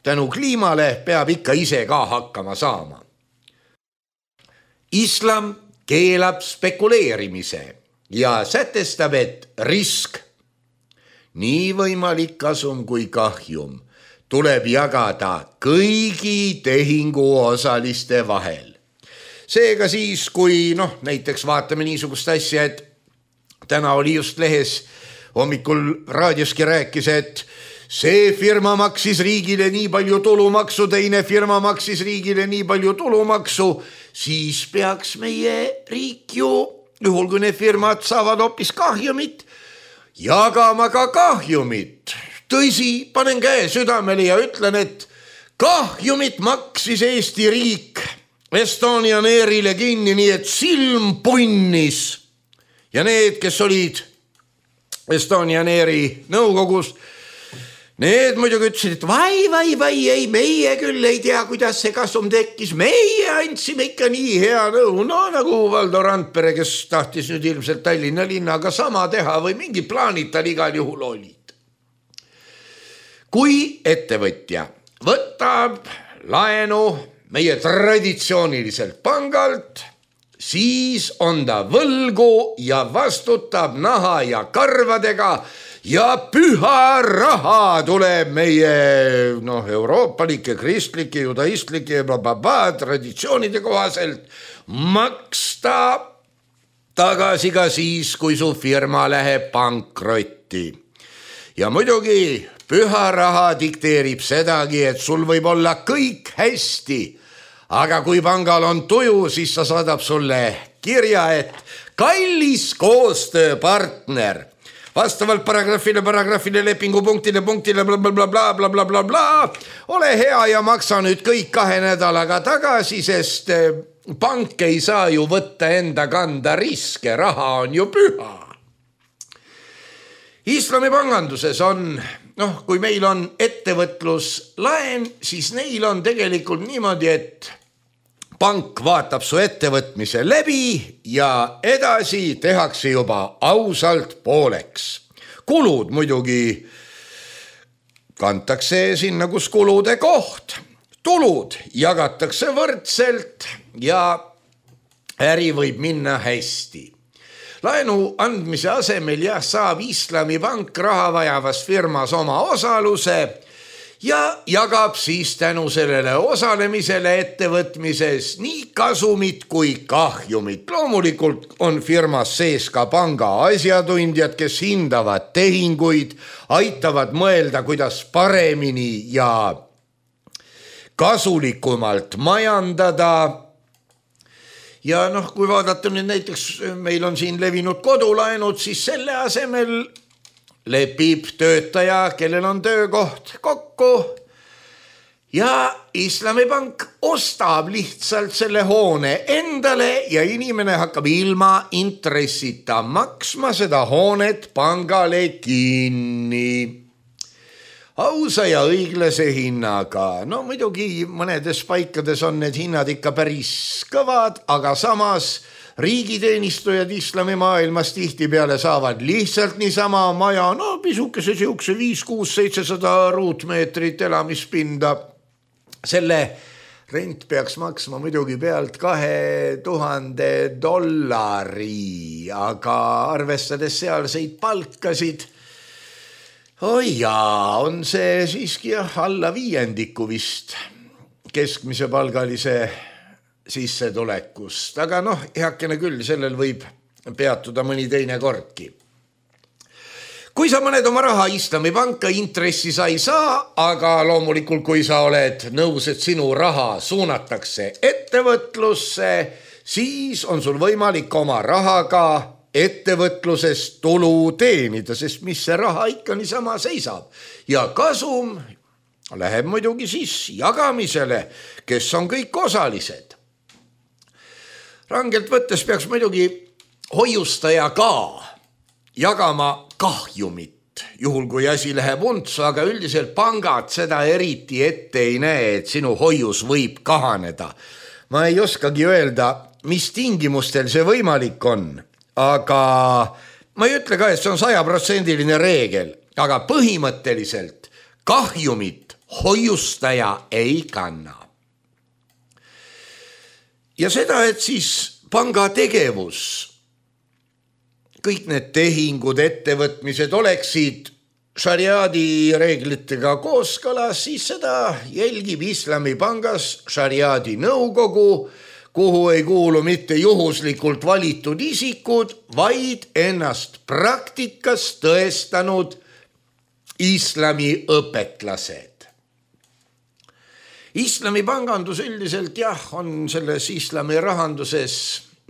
tänu kliimale peab ikka ise ka hakkama saama. Islam keelab spekuleerimise ja sätestab, et risk, nii võimalik kasum kui kahjum, tuleb jagada kõigi tehingu osaliste vahel. Seega siis, kui näiteks vaatame niisugust asja, et täna oli just lehes, hommikul raadioski rääkis, et see firma maksis riigile nii palju tulumaksu, teine firma maksis riigile nii palju tulumaksu, siis peaks meie riik ju, juhul kui need firmad saavad hoopis kahjumit, jagama ka kahjumit. Tõsi, panen käe südamele ja ütlen, et kahjumit maksis Eesti riik Estonian Airile kinni, nii et silm punnis. Ja need, kes olid Estonian Airi nõukogus, need muidugi ütlesid, et vai, ei, meie küll ei tea, kuidas see kasum tekkis, meie andsime ikka nii hea nõu, nagu Valdo Randpere, kes tahtis nüüd ilmselt Tallinna linnaga sama teha või mingi plaanid tal igal juhul olid. Kui ettevõtja võtab laenu meie traditsiooniliselt pangalt, siis on ta võlgu ja vastutab naha ja karvadega ja püha raha tuleb meie euroopalike, kristlike, judaistlike traditsioonide kohaselt maksta tagasi ka siis, kui su firma läheb pankrotti. Ja muidugi püha raha dikteerib sedagi, et sul võib olla kõik hästi, aga kui pangal on tuju, siis ta saadab sulle kirja, et kallis koostööpartner, vastavalt paragrahvile, lepingupunktile, blablabla, ole hea ja maksa nüüd kõik 2 nädalaga tagasi, sest pank ei saa ju võtta enda kanda riske, raha on ju püha. Islamipanganduses on, kui meil on ettevõtluslaen, siis neil on tegelikult niimoodi, et pank vaatab su ettevõtmise läbi ja edasi tehakse juba ausalt pooleks. Kulud muidugi kantakse sinna, kus kulude koht. Tulud jagatakse võrdselt ja äri võib minna hästi. Laenu andmise asemel saab Islamipank raha vajavas firmas oma osaluse ja jagab siis tänu sellele osalemisele ettevõtmises nii kasumit kui kahjumit. Loomulikult on firmas sees ka panga asjatundjad, kes hindavad tehinguid, aitavad mõelda, kuidas paremini ja kasulikumalt majandada. Ja kui vaadata nüüd näiteks, meil on siin levinud kodulaenud, siis selle asemel lepib töötaja, kellel on töökoht, kokku ja Islamipank ostab lihtsalt selle hoone endale ja inimene hakkab ilma intressita maksma seda hoonet pangale kinni. Ausa ja õiglase hinnaga. No muidugi mõnedes paikades on need hinnad ikka päris kõvad, aga samas riigiteenistujad islamimaailmas tihtipeale saavad lihtsalt niisama maja, pisukese siukse 5, 6, 700 ruutmeetrit elamispinda. Selle rent peaks maksma muidugi pealt $2000, aga arvestades sealseid palkasid, on see siiski alla 5% vist keskmise palgalise sissetulekust, aga heakene küll, sellel võib peatuda mõni teine kordki. Kui sa paned oma raha Islamipanka, intressi sa ei saa, aga loomulikult kui sa oled nõus, et sinu raha suunatakse ettevõtlusse, siis on sul võimalik oma rahaga ettevõtlusest tulu teenida, sest mis see raha ikka niisama seisab. Ja kasum läheb muidugi siis jagamisele, kes on kõik osalised. Rangelt võttes peaks muidugi hoiustaja ka jagama kahjumit, juhul kui asi läheb untsu, aga üldiselt pangad seda eriti ette ei näe, et sinu hoius võib kahaneda. Ma ei oskagi öelda, mis tingimustel see võimalik on, aga ma ei ütle ka, et see on 100% reegel, aga põhimõtteliselt kahjumit hoiustaja ei kanna. Ja seda, et siis panga tegevus, kõik need tehingud, ettevõtmised oleksid šariaadi reeglitega kooskõlas, siis seda jälgib Islamipangas šariaadi nõukogu, kuhu ei kuulu mitte juhuslikult valitud isikud, vaid ennast praktikas tõestanud islami õpetlased. Islami pangandus üldiselt on selles islami rahanduses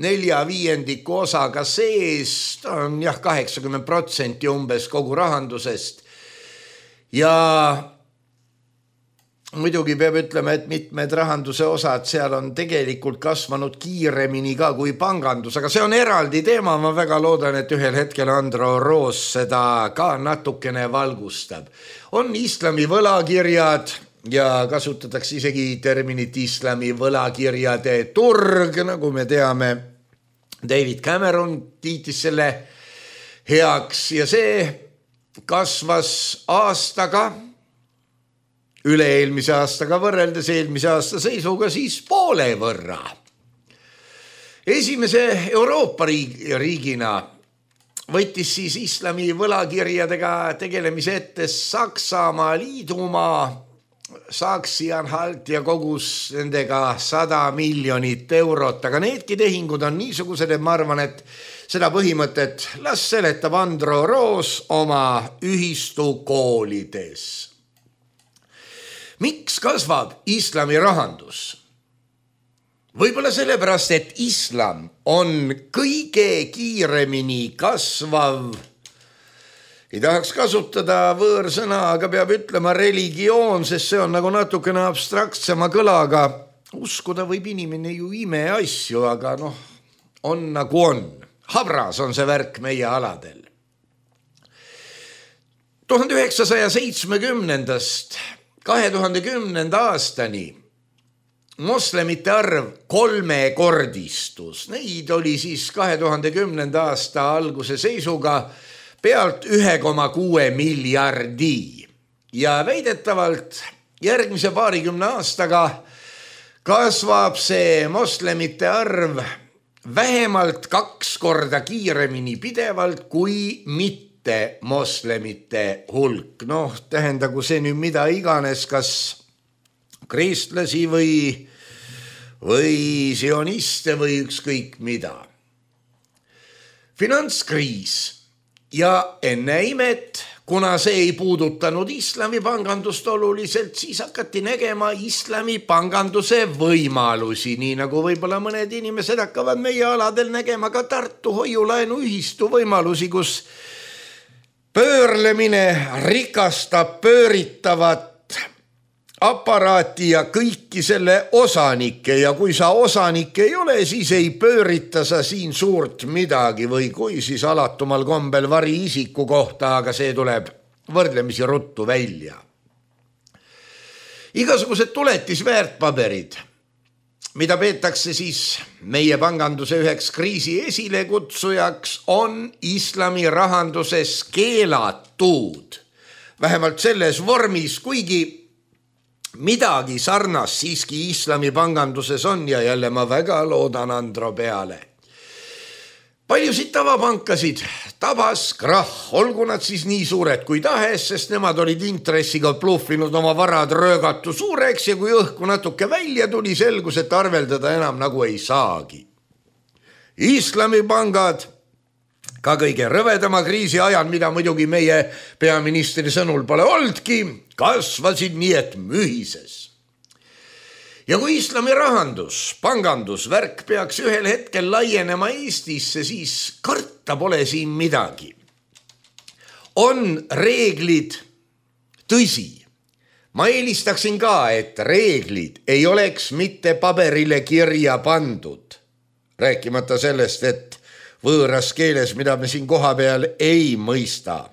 4/5 osaga sees, ta on 80% umbes kogu rahandusest ja muidugi peab ütlema, et mitmed rahanduse osad seal on tegelikult kasvanud kiiremini ka kui pangandus, aga see on eraldi teema, ma väga loodan, et ühel hetkel Andro Roos seda ka natukene valgustab. On islami võlakirjad ja kasutatakse isegi terminit islami võlakirjade turg, nagu me teame. David Cameron kiitis selle heaks ja see kasvas aastaga, üle-eelmise aastaga võrreldes eelmise aasta seisuga siis poole võrra. Esimese Euroopa riigina võttis siis islami võlakirjadega tegelemise ette Saksamaa liidumaa, Saksi-Anhalt ja kogus nendega 100 miljonit eurot, aga needki tehingud on niisugused, et ma arvan, et seda põhimõtet las seletab Andro Roos oma ühistu koolides. Miks kasvab islami rahandus? Võib-olla sellepärast, et islam on kõige kiiremini kasvav, ei tahaks kasutada võõrsõna, aga peab ütlema religioon, sest see on nagu natukene abstraktsema kõlaga. Uskuda võib inimene ju imeasju, aga on nagu on. Habras on see värk meie aladel. 1970-ndast 2010. aastani moslemite arv 3-kordistus. Neid oli siis 2010. aasta alguse seisuga pealt 1,6 miljardi ja väidetavalt järgmise 20 aastaga kasvab see moslemite arv vähemalt 2 korda kiiremini pidevalt kui mitte mitte moslemite hulk. Noh, tähendagu see nüüd mida iganes, kas kristlasi või sioniste või ükskõik mida. Finantskriis ja enne imet, kuna see ei puudutanud islami pangandust oluliselt, siis hakati nägema islami panganduse võimalusi, nii nagu võib-olla mõned inimesed hakkavad meie aladel nägema ka Tartu hoiulaenuühistu võimalusi, kus pöörlemine rikastab pööritavat aparaati ja kõiki selle osanikke ja kui sa osanik ei ole, siis ei pöörita sa siin suurt midagi või kui siis alatumal kombel vari isiku kohta, aga see tuleb võrdlemisi ruttu välja. Igasugused tuletisväärtpaberid, mida peetakse siis meie panganduse üheks kriisi esilekutsujaks, on islami rahanduses keelatud. Vähemalt selles vormis, kuigi midagi sarnast siiski islami panganduses on ja jälle ma väga loodan Andro peale. Paljusid tavapankasid tabas krahh, olgu nad siis nii suured kui tahes, sest nemad olid intressiga pluffinud oma varad röögatu suureks ja kui õhku natuke välja tuli, selgus, et arveldada enam nagu ei saagi. Islami pangad ka kõige rõvedama kriisi ajal, mida muidugi meie peaministri sõnul pole oldki, kasvasid nii, et mühises. Ja kui islami rahandus, pangandusvärk peaks ühel hetkel laienema Eestisse, siis karta pole siin midagi. On reeglid, tõsi. Ma eelistaksin ka, et reeglid ei oleks mitte paberile kirja pandud. Rääkimata sellest, et võõras keeles, mida me siin koha peal ei mõista.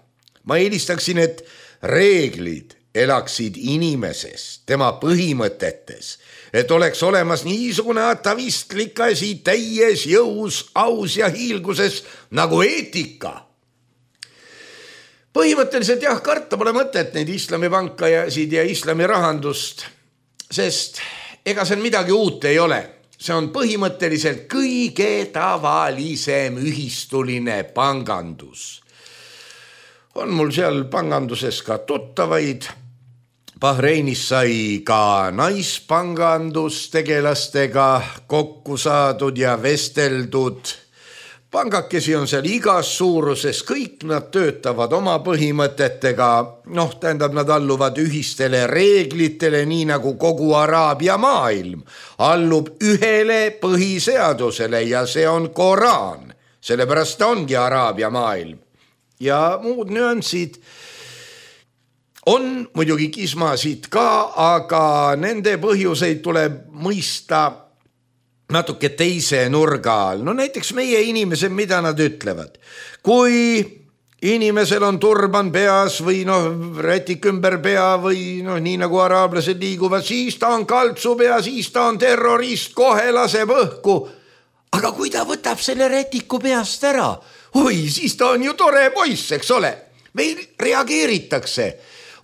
Ma eelistaksin, et reeglid elaksid inimeses, tema põhimõtetes, et oleks olemas niisugune atavistlik asi täies jõus, aus ja hiilguses nagu eetika. Põhimõtteliselt jah, karta pole mõtet neid islami pankajasid ja islami rahandust, sest ega seal midagi uut ei ole. See on põhimõtteliselt kõige tavalisem ühistuline pangandus. On mul seal panganduses ka tuttavaid. Bahreinis sai ka naispangandus-tegelastega kokku saadud ja vesteldud. Pangakesi on seal igas suuruses, kõik nad töötavad oma põhimõtetega, tähendab, nad alluvad ühistele reeglitele, nii nagu kogu Araabia maailm allub ühele põhiseadusele ja see on Koraan, sellepärast ongi Araabia maailm. Ja muud nüansid on muidugi kismasid ka, aga nende põhjuseid tuleb mõista natuke teise nurga all. Näiteks meie inimesed, mida nad ütlevad. Kui inimesel on turban peas või rätik ümber pea või nii nagu araablased liiguvad, siis ta on kaltsupea, siis ta on terrorist, kohe laseb õhku. Aga kui ta võtab selle rätiku peast ära, siis ta on ju tore poiss, eks ole. Meil reageeritakse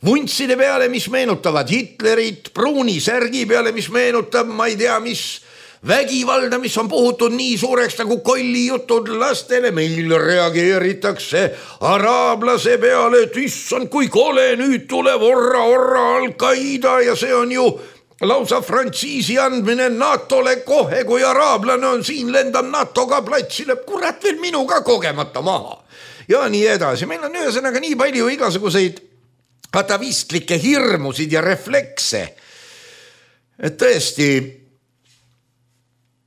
vuntside peale, mis meenutavad Hitlerit, pruuni särgi peale, mis meenutab, ma ei tea, mis vägivalda, mis on puhutud nii suureks nagu kollijutud lastele. Meil reageeritakse araablase peale, et issand, kui kole, nüüd tuleb orra Al-Qaida ja see on ju lausa frantsiisi andmine NATO-le kohe, kui araablane on siin, lendab NATO-ga platsile, kurat veel minuga kogemata maha. Ja nii edasi. Meil on ühesõnaga nii palju igasuguseid atavistlikke hirmusid ja reflekse, et tõesti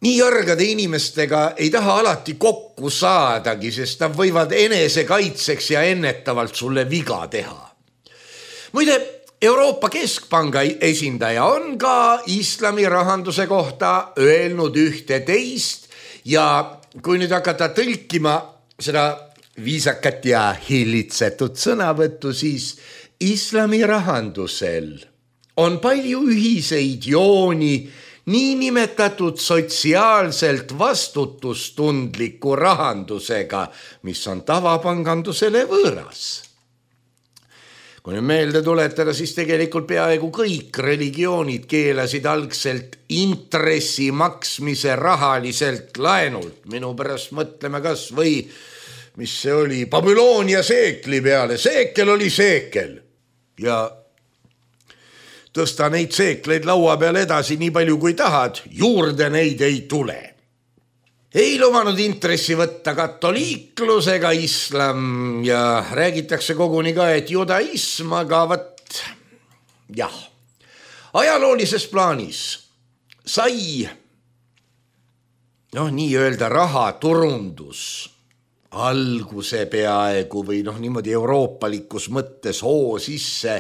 nii järgade inimestega ei taha alati kokku saadagi, sest nad võivad enesekaitseks ja ennetavalt sulle viga teha. Muide, Euroopa Keskpanga esindaja on ka islami rahanduse kohta öelnud ühte teist ja kui nüüd hakata tõlkima seda viisakat ja hillitsetud sõnavõttu, siis islami rahandusel on palju ühiseid jooni niinimetatud sotsiaalselt vastutustundliku rahandusega, mis on tavapangandusele võõras. Kui nüüd meelde tuletada, siis tegelikult peaaegu kõik religioonid keelasid algselt intressi maksmise rahaliselt laenult. Minu pärast mõtleme kas või mis see oli, Babyloonia seekli peale, seekel oli seekel ja tõsta neid seekleid laua peal edasi nii palju kui tahad, juurde neid ei tule. Ei lubanud intressi võtta katoliiklusega islam ja räägitakse koguni ka, et judaism, aga võt, jah, ajaloolises plaanis sai nii öelda rahaturundus alguse peaaegu või niimoodi euroopalikus mõttes hoo sisse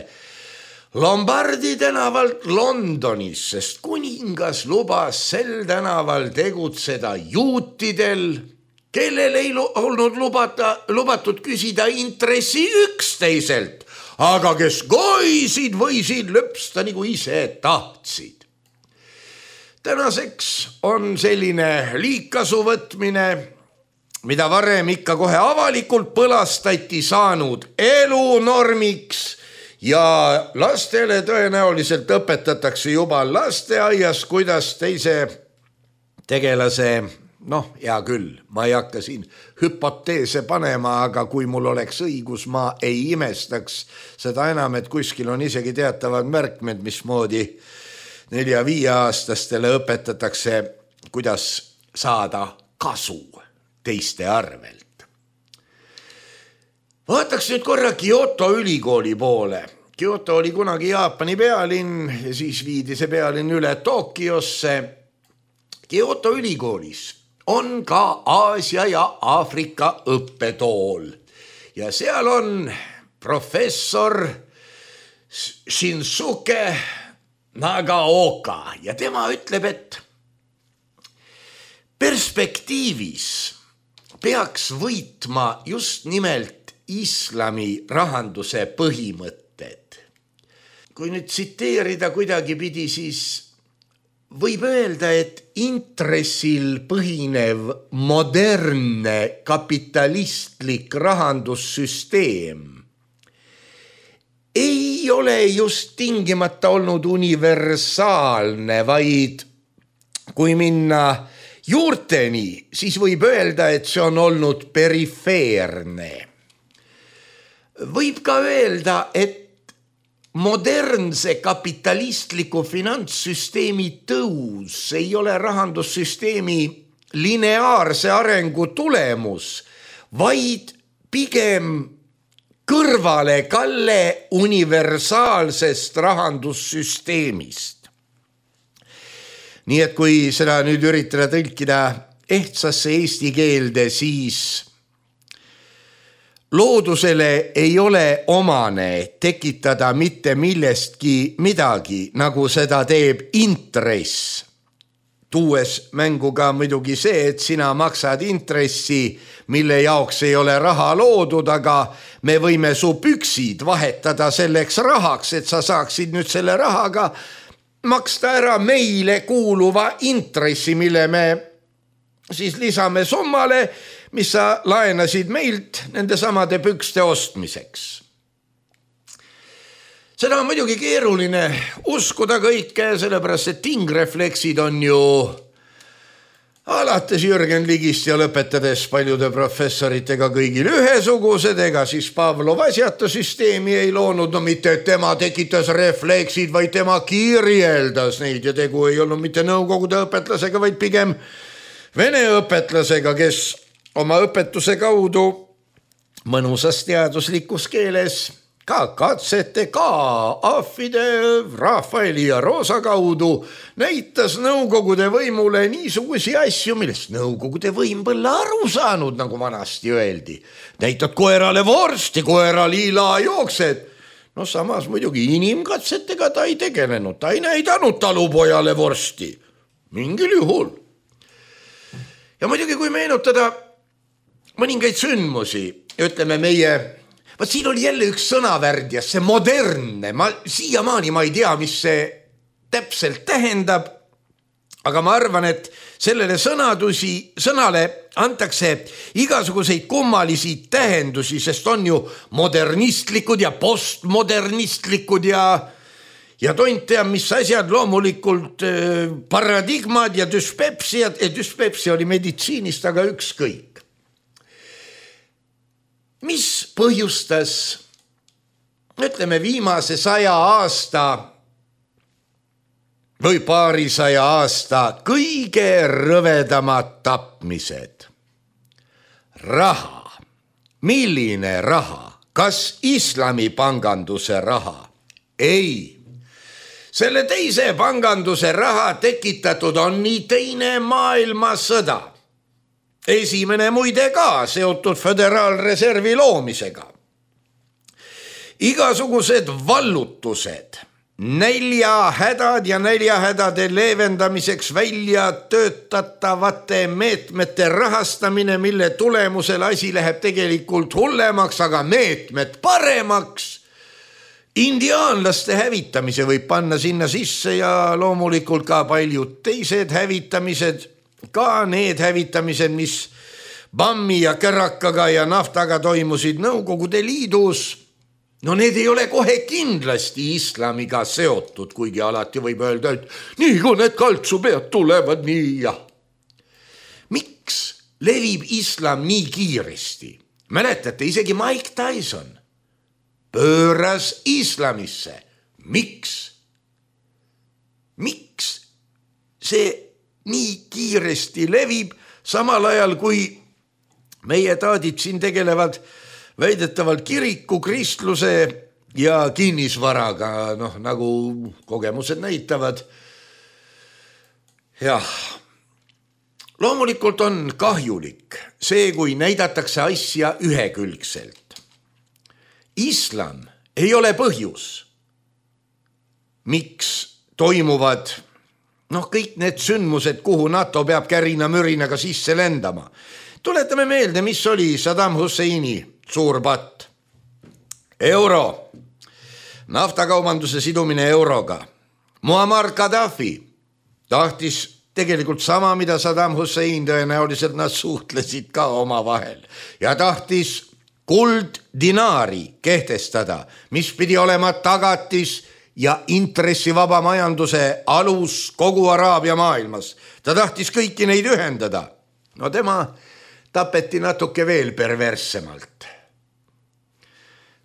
Lombardi tänavalt Londonis, sest kuningas lubas sel tänaval tegutseda juutidel, kellel ei olnud lubatud küsida intressi üksteiselt, aga kes koisid võisid lõpsta nagu ise tahtsid. Tänaseks on selline liigkasu võtmine, mida varem ikka kohe avalikult põlastati, saanud elunormiks ja lastele tõenäoliselt õpetatakse juba lasteaias, kuidas teise tegelase, hea küll, ma ei hakka siin hüpoteese panema, aga kui mul oleks õigus, ma ei imestaks seda enam, et kuskil on isegi teatavad märkmed, mismoodi 4-5-aastastele õpetatakse, kuidas saada kasu teiste arvelt. Vaataks nüüd korra Kyoto ülikooli poole. Kyoto oli kunagi Jaapani pealinn ja siis viidi see pealinn üle Tokyosse. Kyoto ülikoolis on ka Aasia ja Aafrika õppetool ja seal on professor Shinsuke Nagaoka ja tema ütleb, et perspektiivis peaks võitma just nimelt islami rahanduse põhimõtted. Kui nüüd tsiteerida kuidagi pidi, siis võib öelda, et intressil põhinev modernne kapitalistlik rahandussüsteem ei ole just tingimata olnud universaalne, vaid kui minna juurteni, siis võib öelda, et see on olnud perifeerne. Võib ka öelda, et modernse kapitalistliku finantssüsteemi tõus ei ole rahandussüsteemi lineaarse arengu tulemus, vaid pigem kõrvalekalle universaalsest rahandussüsteemist. Nii et kui seda nüüd üritada tõlkida ehtsasse eesti keelde, siis loodusele ei ole omane tekitada mitte millestki midagi, nagu seda teeb intress. Tuues mängu ka muidugi see, et sina maksad intressi, mille jaoks ei ole raha loodud, aga me võime su püksid vahetada selleks rahaks, et sa saaksid nüüd selle rahaga maksta ära meile kuuluva intressi, mille me siis lisame summale, mis sa laenasid meilt nende samade pükste ostmiseks. Seda on muidugi keeruline uskuda kõike, sellepärast et tingrefleksid on ju alates Jürgen Ligist ja lõpetades paljude professoritega kõigil ühesugused, ega siis Pavlov asjata süsteemi ei loonud, mitte et tema tekitas refleksid, vaid tema kirjeldas neid ja tegu ei olnud mitte nõukogude õpetlasega, vaid pigem vene õpetlasega, kes oma õpetuse kaudu mõnusas teaduslikus keeles ka katsete ka ahvide, Rafaeli ja Roosa kaudu näitas nõukogude võimule niisugusi asju, millest nõukogude võim pole aru saanud, nagu vanasti öeldi. Näitad koerale vorsti, koera liila jooksed. Samas muidugi inimkatsetega ta ei tegelenud, ta ei näidanud talupojale vorsti. Mingil juhul. Ja muidugi, kui meenutada mõningaid sündmusi, ütleme meie, siin oli jälle üks sõnavärd ja see modernne, siiamaani ma ei tea, mis see täpselt tähendab, aga ma arvan, et sellele sõnale antakse igasuguseid kummalisi tähendusi, sest on ju modernistlikud ja postmodernistlikud ja tont teab, mis asjad, loomulikult paradigmad ja düspepsia oli meditsiinist, aga ükskõik. mis põhjustas, ütleme, viimase 100 aasta või paarisaja aasta kõige rõvedamad tapmised? Raha. Milline raha? Kas islamipanganduse raha? Ei. Selle teise panganduse raha tekitatud on nii teine maailmasõda. Esimene muide ka seotud föderaalreservi loomisega. Igasugused vallutused, näljahädad ja näljahädade leevendamiseks välja töötatavate meetmete rahastamine, mille tulemusel asi läheb tegelikult hullemaks, aga meetmed paremaks. Indiaanlaste hävitamise võib panna sinna sisse ja loomulikult ka paljud teised hävitamised, ka need hävitamised, mis Bammi ja Kärakaga ja naftaga toimusid Nõukogude Liidus. No need ei ole kohe kindlasti islamiga seotud, kuigi alati võib öelda, et nii kui need kaltsupead tulevad, nii ja. Miks levib islam nii kiiresti? Mäletate, isegi Mike Tyson pööras islamisse. Miks? Miks see nii kiiresti levib, samal ajal kui meie taadid siin tegelevad väidetavalt kiriku, kristluse ja kinnisvaraga, nagu kogemused näitavad. Jah, loomulikult on kahjulik see, kui näidatakse asja ühekülgselt. Islam ei ole põhjus, miks toimuvad kõik need sündmused, kuhu NATO peab kärina-mürinaga sisse lendama. Tuletame meelde, mis oli Saddam Husseini suur patt. Euro, naftakaubanduse sidumine euroga. Muammar Gaddafi tahtis tegelikult sama, mida Saddam Hussein, tõenäoliselt nad suhtlesid ka omavahel ja tahtis kulddinaari kehtestada, mis pidi olema tagatis ja intressivaba majanduse alus kogu Araabia maailmas. Ta tahtis kõiki neid ühendada. No tema tapeti natuke veel perverssemalt.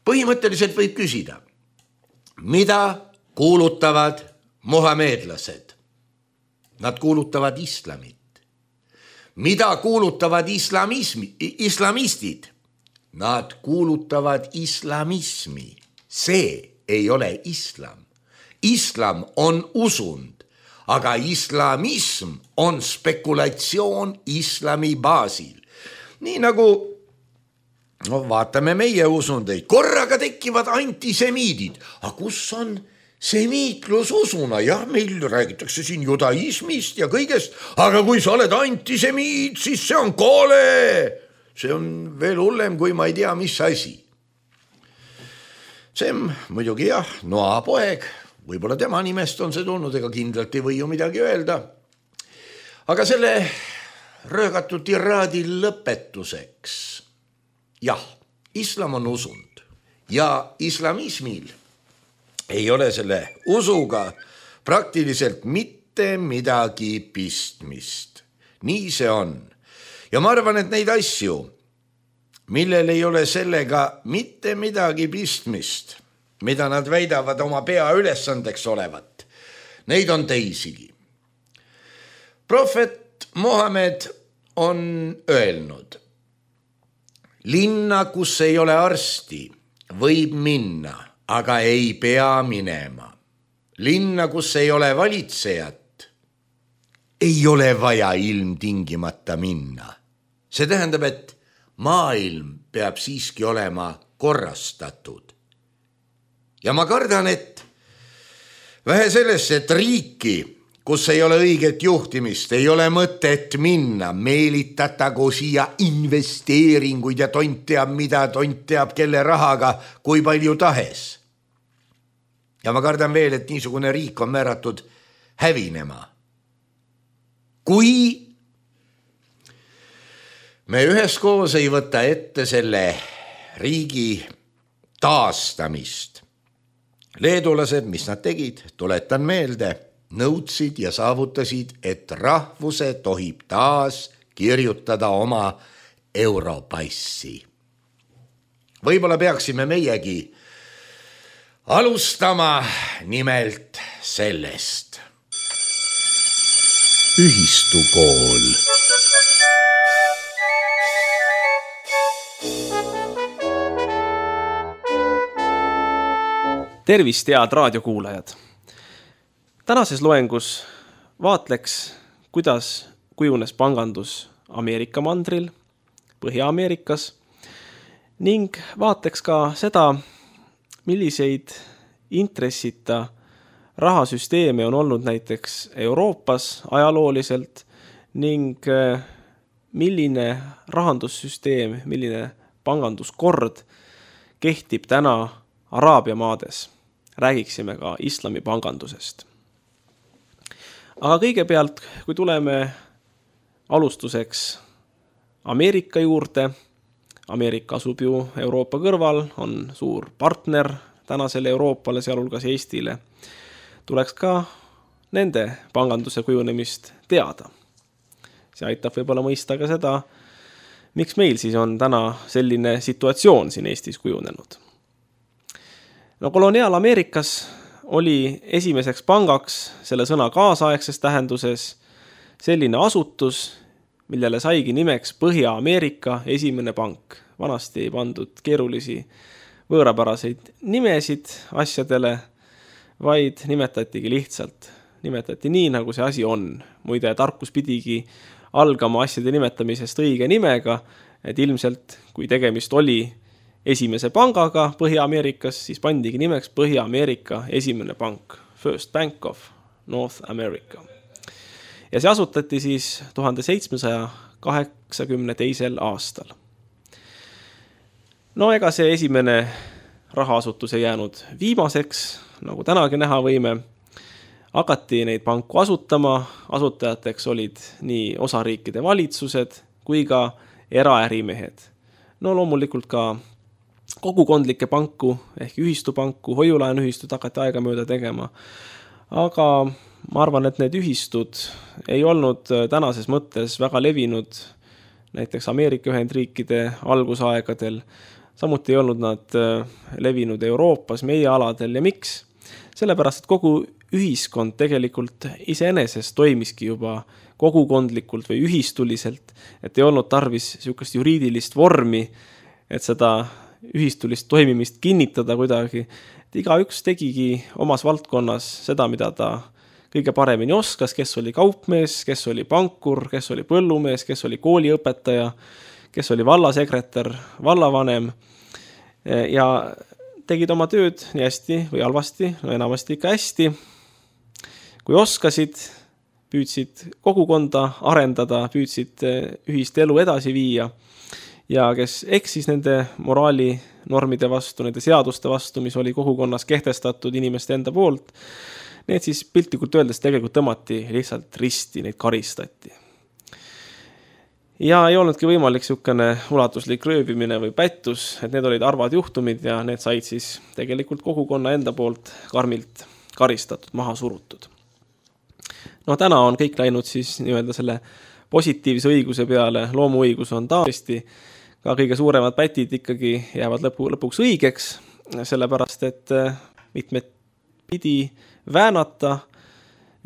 Põhimõtteliselt võib küsida, mida kuulutavad muhameedlased? Nad kuulutavad islamit. Mida kuulutavad islamistid? Nad kuulutavad islamismi. See ei ole islam. Islam on usund, aga islamism on spekulatsioon islami baasil. Nii nagu vaatame meie usundeid, korraga tekivad antisemiidid. Aga kus on semiitlus usuna? Jah, meil räägitakse siin judaismist ja kõigest, aga kui sa oled antisemiid, siis see on kole. See on veel hullem, kui ma ei tea, mis asi. See muidugi jah, Noa poeg, võib-olla tema nimest on see tulnud, ega kindlalt ei või ju midagi öelda. Aga selle röögatud tiraadi lõpetuseks. Jah, islam on usund ja islamismil ei ole selle usuga praktiliselt mitte midagi pistmist. Nii see on. Ja ma arvan, et neid asju, millel ei ole sellega mitte midagi pistmist, mida nad väidavad oma pea ülesandeks olevat, neid on teisigi. Prohvet Mohamed on öelnud, linna, kus ei ole arsti, võib minna, aga ei pea minema. Linna, kus ei ole valitsejat, ei ole vaja ilmtingimata minna. See tähendab, et maailm peab siiski olema korrastatud. Ja ma kardan, et vähe sellest, et riiki, kus ei ole õiget juhtimist, ei ole mõtet minna, meelitatagu siia investeeringuid ja tont teab mida, tont teab kelle rahaga, kui palju tahes. Ja ma kardan veel, et niisugune riik on määratud hävinema. Kui me üheskoos ei võta ette selle riigi taastamist. Leedulased, mis nad tegid, tuletan meelde, nõudsid ja saavutasid, et rahvuse tohib taas kirjutada oma europassi. Võib-olla peaksime meiegi alustama nimelt sellest. Ühistukool. Tervist, head raadiokuulajad! Tänases loengus vaatleks, kuidas kujunes pangandus Ameerika mandril, Põhja-Ameerikas ning vaatleks ka seda, milliseid intressita rahasüsteeme on olnud näiteks Euroopas ajalooliselt ning milline rahandussüsteem, milline panganduskord kehtib täna Araabia maades. Räägiksime ka islami pangandusest. Aga kõigepealt, kui tuleme alustuseks Ameerika juurde, Ameerika asub ju Euroopa kõrval, on suur partner tänasele Euroopale, sealhulgas Eestile, tuleks ka nende panganduse kujunemist teada. See aitab võib-olla mõista ka seda, miks meil siis on täna selline situatsioon siin Eestis kujunenud. No koloniaal-Ameerikas oli esimeseks pangaks selle sõna kaasaegses tähenduses selline asutus, millele saigi nimeks Põhja-Ameerika esimene pank. Vanasti ei pandud keerulisi võõrapäraseid nimesid asjadele, vaid nimetatigi lihtsalt. Nimetati nii, nagu see asi on. Muide, tarkus pidigi algama asjade nimetamisest õige nimega, et ilmselt, kui tegemist oli esimese pangaga Põhja-Ameerikas, siis pandigi nimeks Põhja-Ameerika esimene pank, First Bank of North America. Ja see asutati siis 1782. aastal. No ega see esimene rahaasutus ei jäänud viimaseks, nagu tänagi näha võime. Hakati neid panku asutama, asutajateks olid nii osariikide valitsused kui ka eraärimehed. No loomulikult ka kogukondlikke panku ehk ühistupanku, hoiulaenuühistud hakati aegamööda tegema. Aga ma arvan, et need ühistud ei olnud tänases mõttes väga levinud näiteks Ameerika Ühendriikide algusaegadel. Samuti ei olnud nad levinud Euroopas, meie aladel. Ja miks? Sellepärast, et kogu ühiskond tegelikult iseenesest toimiski juba kogukondlikult või ühistuliselt, et ei olnud tarvis niisugust juriidilist vormi, et seda ühistulist toimimist kinnitada kuidagi. Et igaüks tegigi omas valdkonnas seda, mida ta kõige paremini oskas, kes oli kaupmees, kes oli pankur, kes oli põllumees, kes oli kooliõpetaja, kes oli vallasekretär, vallavanem ja tegid oma tööd nii hästi või halvasti, no enamasti ikka hästi. Kui oskasid, püüdsid kogukonda arendada, püüdsid ühist elu edasi viia. Ja kes eksis nende moraalinormide vastu, nende seaduste vastu, mis oli kogukonnas kehtestatud inimeste enda poolt, need siis piltlikult öeldes tegelikult tõmmati lihtsalt risti, neid karistati. Ja ei olnudki võimalik niisugune ulatuslik röövimine või pättus, et need olid arvad juhtumid ja need said siis tegelikult kogukonna enda poolt karmilt karistatud, maha surutud. No täna on kõik läinud siis nii-öelda selle positiivse õiguse peale, loomuõigus on taasti, ka kõige suuremad pätid ikkagi jäävad lõpuks õigeks, sellepärast et mitmed pidi väänata,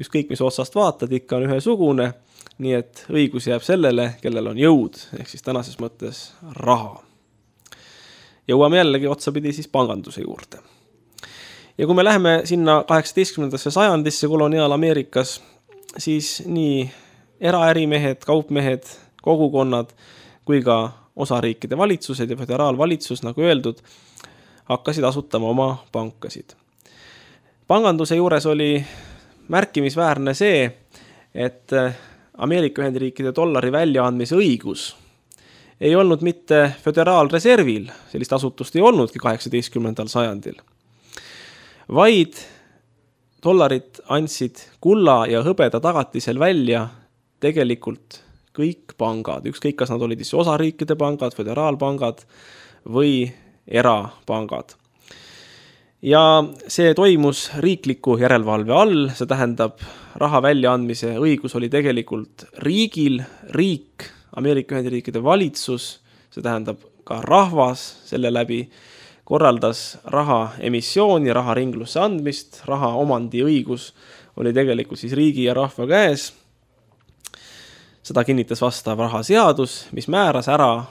ükskõik mis otsast vaatad, ikka on ühesugune, nii et õigus jääb sellele, kellel on jõud, ehk siis tänases mõttes raha. Jõuame jällegi otsapidi siis panganduse juurde. Ja kui me läheme sinna 18. sajandisse koloniaal-Ameerikas, siis nii eraärimehed, kaupmehed, kogukonnad kui ka osariikide valitsused ja föderaalvalitsus, nagu öeldud, hakkasid asutama oma pankasid. Panganduse juures oli märkimisväärne see, et Ameerika Ühendriikide dollari väljaandmise õigus ei olnud mitte föderaalreservil, sellist asutust ei olnudki 18. sajandil, vaid dollarit andsid kulla ja hõbeda tagatisel välja tegelikult kõik pangad, ükskõik kas nad olid osariikide pangad, föderaalpangad või erapangad. Ja see toimus riikliku järelevalve all, see tähendab raha väljaandmise õigus oli tegelikult riigil, riik, Ameerika Ühendriikide valitsus, see tähendab ka rahvas selle läbi korraldas raha emissiooni, raha ringlusse andmist, raha omandi õigus oli tegelikult siis riigi ja rahva käes. Seda kinnitas vastav rahaseadus, mis määras ära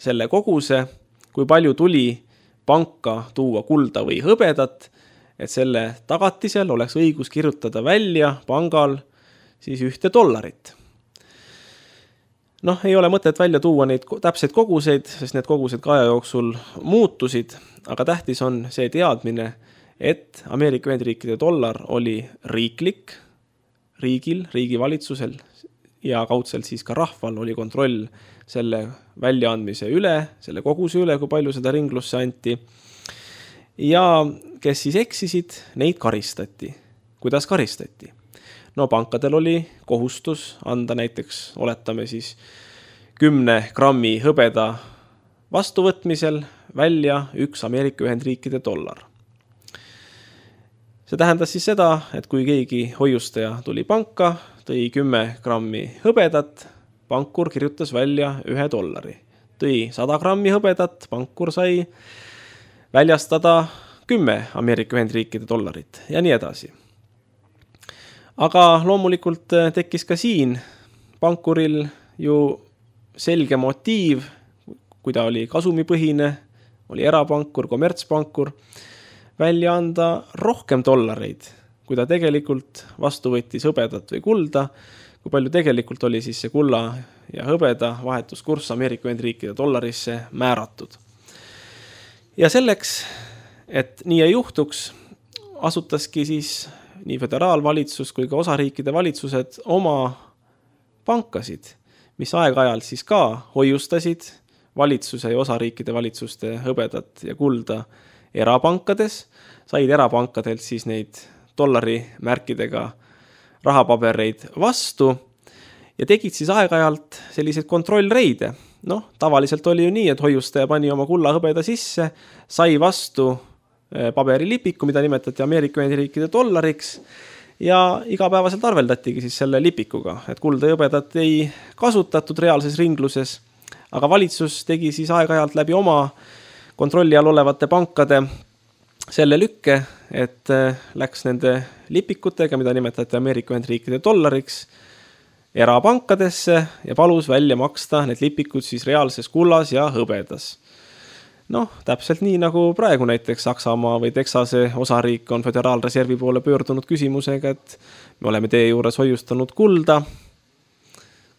selle koguse, kui palju tuli panka tuua kulda või hõbedat, et selle tagatisel oleks õigus kirjutada välja pangal siis $1. Ei ole mõtet välja tuua neid täpseid koguseid, sest need kogused ka aja jooksul muutusid, aga tähtis on see teadmine, et Ameerika Ühendriikide dollar oli riiklik, riigi valitsusel ja kaudselt siis ka rahval oli kontroll selle väljaandmise üle, selle koguse üle, kui palju seda ringlusse anti. Ja kes siis eksisid, neid karistati. Kuidas karistati? Pankadel oli kohustus anda näiteks, oletame siis 10 grammi hõbeda vastuvõtmisel välja 1 Ameerika Ühendriikide dollar. See tähendas siis seda, et kui keegi hoiustaja tuli panka, tõi 10 grammi hõbedat, pankur kirjutas välja $1. Tõi 100 grammi hõbedat, pankur sai väljastada 10 Ameerika Ühendriikide dollarit ja nii edasi. Aga loomulikult tekkis ka siin pankuril ju selge motiiv, kui ta oli kasumipõhine, oli erapankur, kommertspankur, välja anda rohkem dollareid, kui ta tegelikult vastu võttis hõbedat või kulda, kui palju tegelikult oli siis see kulla ja hõbeda vahetuskurss Ameerika Ühendriikide dollarisse määratud. Ja selleks, et nii ei juhtuks, asutaski siis nii föderaalvalitsus kui ka osariikide valitsused oma pankasid, mis aeg-ajalt siis ka hoiustasid valitsuse ja osariikide valitsuste hõbedat ja kulda erapankades, said erapankadelt siis neid dollarimärkidega rahapabereid vastu ja tegid siis aeg-ajalt selliseid kontrollreide. Tavaliselt oli ju nii, et hoiustaja pani oma kulla hõbeda sisse, sai vastu paberilipiku, mida nimetati Ameerika Ühendriikide dollariks ja igapäevaselt arveldatigi siis selle lipikuga, et kulda ja hõbedat ei kasutatud reaalses ringluses, aga valitsus tegi siis aeg-ajalt läbi oma kontrolli all olevate pankade selle lükke, et läks nende lipikutega, mida nimetati Ameerika Ühendriikide dollariks, erapankadesse ja palus välja maksta need lipikud siis reaalses kullas ja hõbedas. Täpselt nii nagu praegu näiteks Saksamaa või Texase osariik on föderaalreservi poole pöördunud küsimusega, et me oleme teie juures hoiustanud kulda.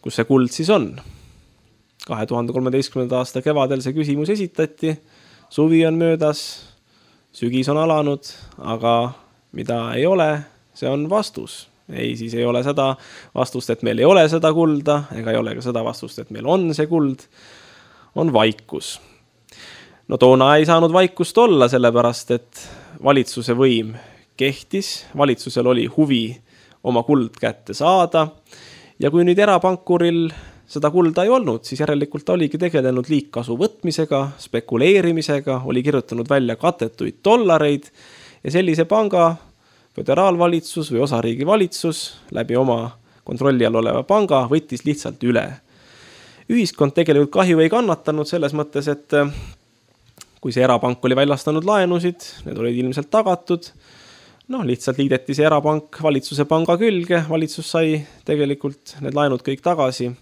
Kus see kuld siis on? 2013. aasta kevadel see küsimus esitati, suvi on möödas, sügis on alanud, aga mida ei ole, see on vastus. Ei, siis ei ole seda vastust, et meil ei ole seda kulda, ega ei ole ka seda vastust, et meil on see kuld, on vaikus. Toona ei saanud vaikust olla, sellepärast, et valitsuse võim kehtis, valitsusel oli huvi oma kuld kätte saada ja kui nüüd erapankuril seda kulda ei olnud, siis järelikult oligi tegelenud liigkasu võtmisega, spekuleerimisega, oli kirjutanud välja katetuid dollareid ja sellise panga föderaalvalitsus või osariigi valitsus läbi oma kontrolli all oleva panga võttis lihtsalt üle. Ühiskond tegelikult kahju ei kannatanud selles mõttes, et kui see erapank oli väljastanud laenusid, need olid ilmselt tagatud, lihtsalt liideti see erapank valitsuse panga külge, valitsus sai tegelikult need laenud kõik tagasi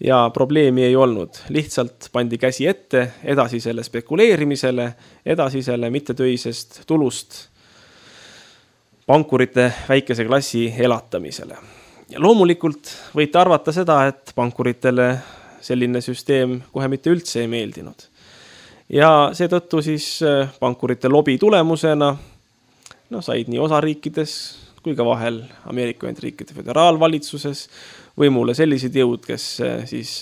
ja probleemi ei olnud. Lihtsalt pandi käsi ette edasisele spekuleerimisele, edasisele mittetöisest tulust pankurite väikese klassi elatamisele. Ja loomulikult võite arvata seda, et pankuritele selline süsteem kohe mitte üldse ei meeldinud. Ja seetõttu siis pankurite lobi tulemusena said nii osariikides kui ka vahel Ameerika Ühendriikide föderaalvalitsuses võimule sellised jõud, kes siis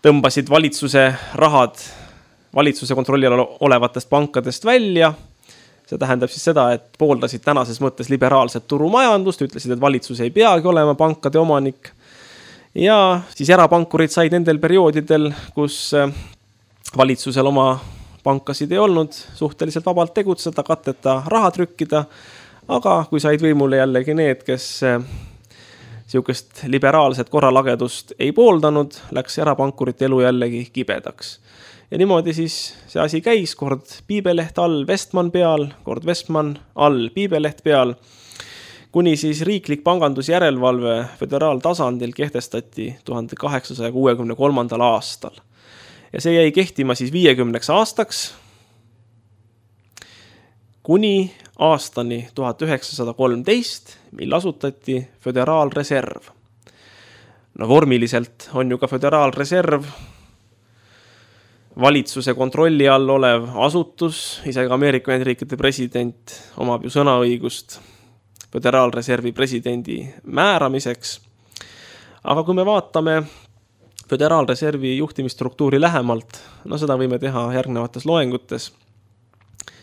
tõmbasid valitsuse rahad valitsuse kontrolli all olevatest pankadest välja. See tähendab siis seda, et pooldasid tänases mõttes liberaalset turumajandust, ütlesid, et valitsus ei peagi olema pankade omanik. Ja siis erapankurid said nendel perioodidel, kus valitsusel oma pankasid ei olnud, suhteliselt vabalt tegutseda, katteta raha trükkida, aga kui said võimule jällegi need, kes Siukest liberaalset korralagedust ei pooldanud, läks erapankurite elu jällegi kibedaks. Ja niimoodi siis see asi käis, kord Piibeleht all Vestman peal, kord Vestman all Piibeleht peal, kuni siis riiklik pangandusjärelevalve föderaaltasandil kehtestati 1863. aastal. Ja see jäi kehtima siis 50 aastaks, kuni aastani 1913, mil asutati Föderaalreserv. No vormiliselt on ju ka Föderaalreserv valitsuse kontrolli all olev asutus, isegi Ameerika Ühendriikide president omab ju sõnaõigust Föderaalreservi presidendi määramiseks. Aga kui me vaatame Föderaalreservi juhtimisstruktuuri lähemalt, no seda võime teha järgnevates loengutes,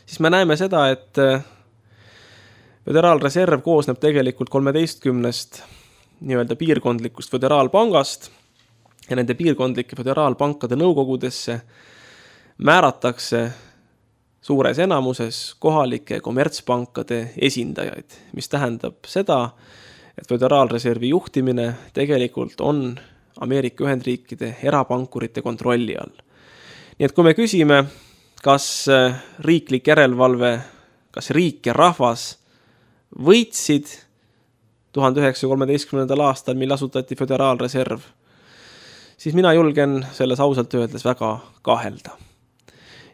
siis me näeme seda, et Föderaalreserv koosneb tegelikult 13 nii-öelda piirkondlikust föderaalpangast ja nende piirkondlike föderaalpankade nõukogudesse määratakse suures enamuses kohalike kommertspankade esindajaid, mis tähendab seda, et Föderaalreservi juhtimine tegelikult on Ameerika Ühendriikide erapankurite kontrolli all. Nii et kui me küsime, kas riiklik järelevalve, kas riik ja rahvas võitsid 1913. aastal, mil asutati Föderaalreserv, siis mina julgen selles ausalt öeldes väga kahelda.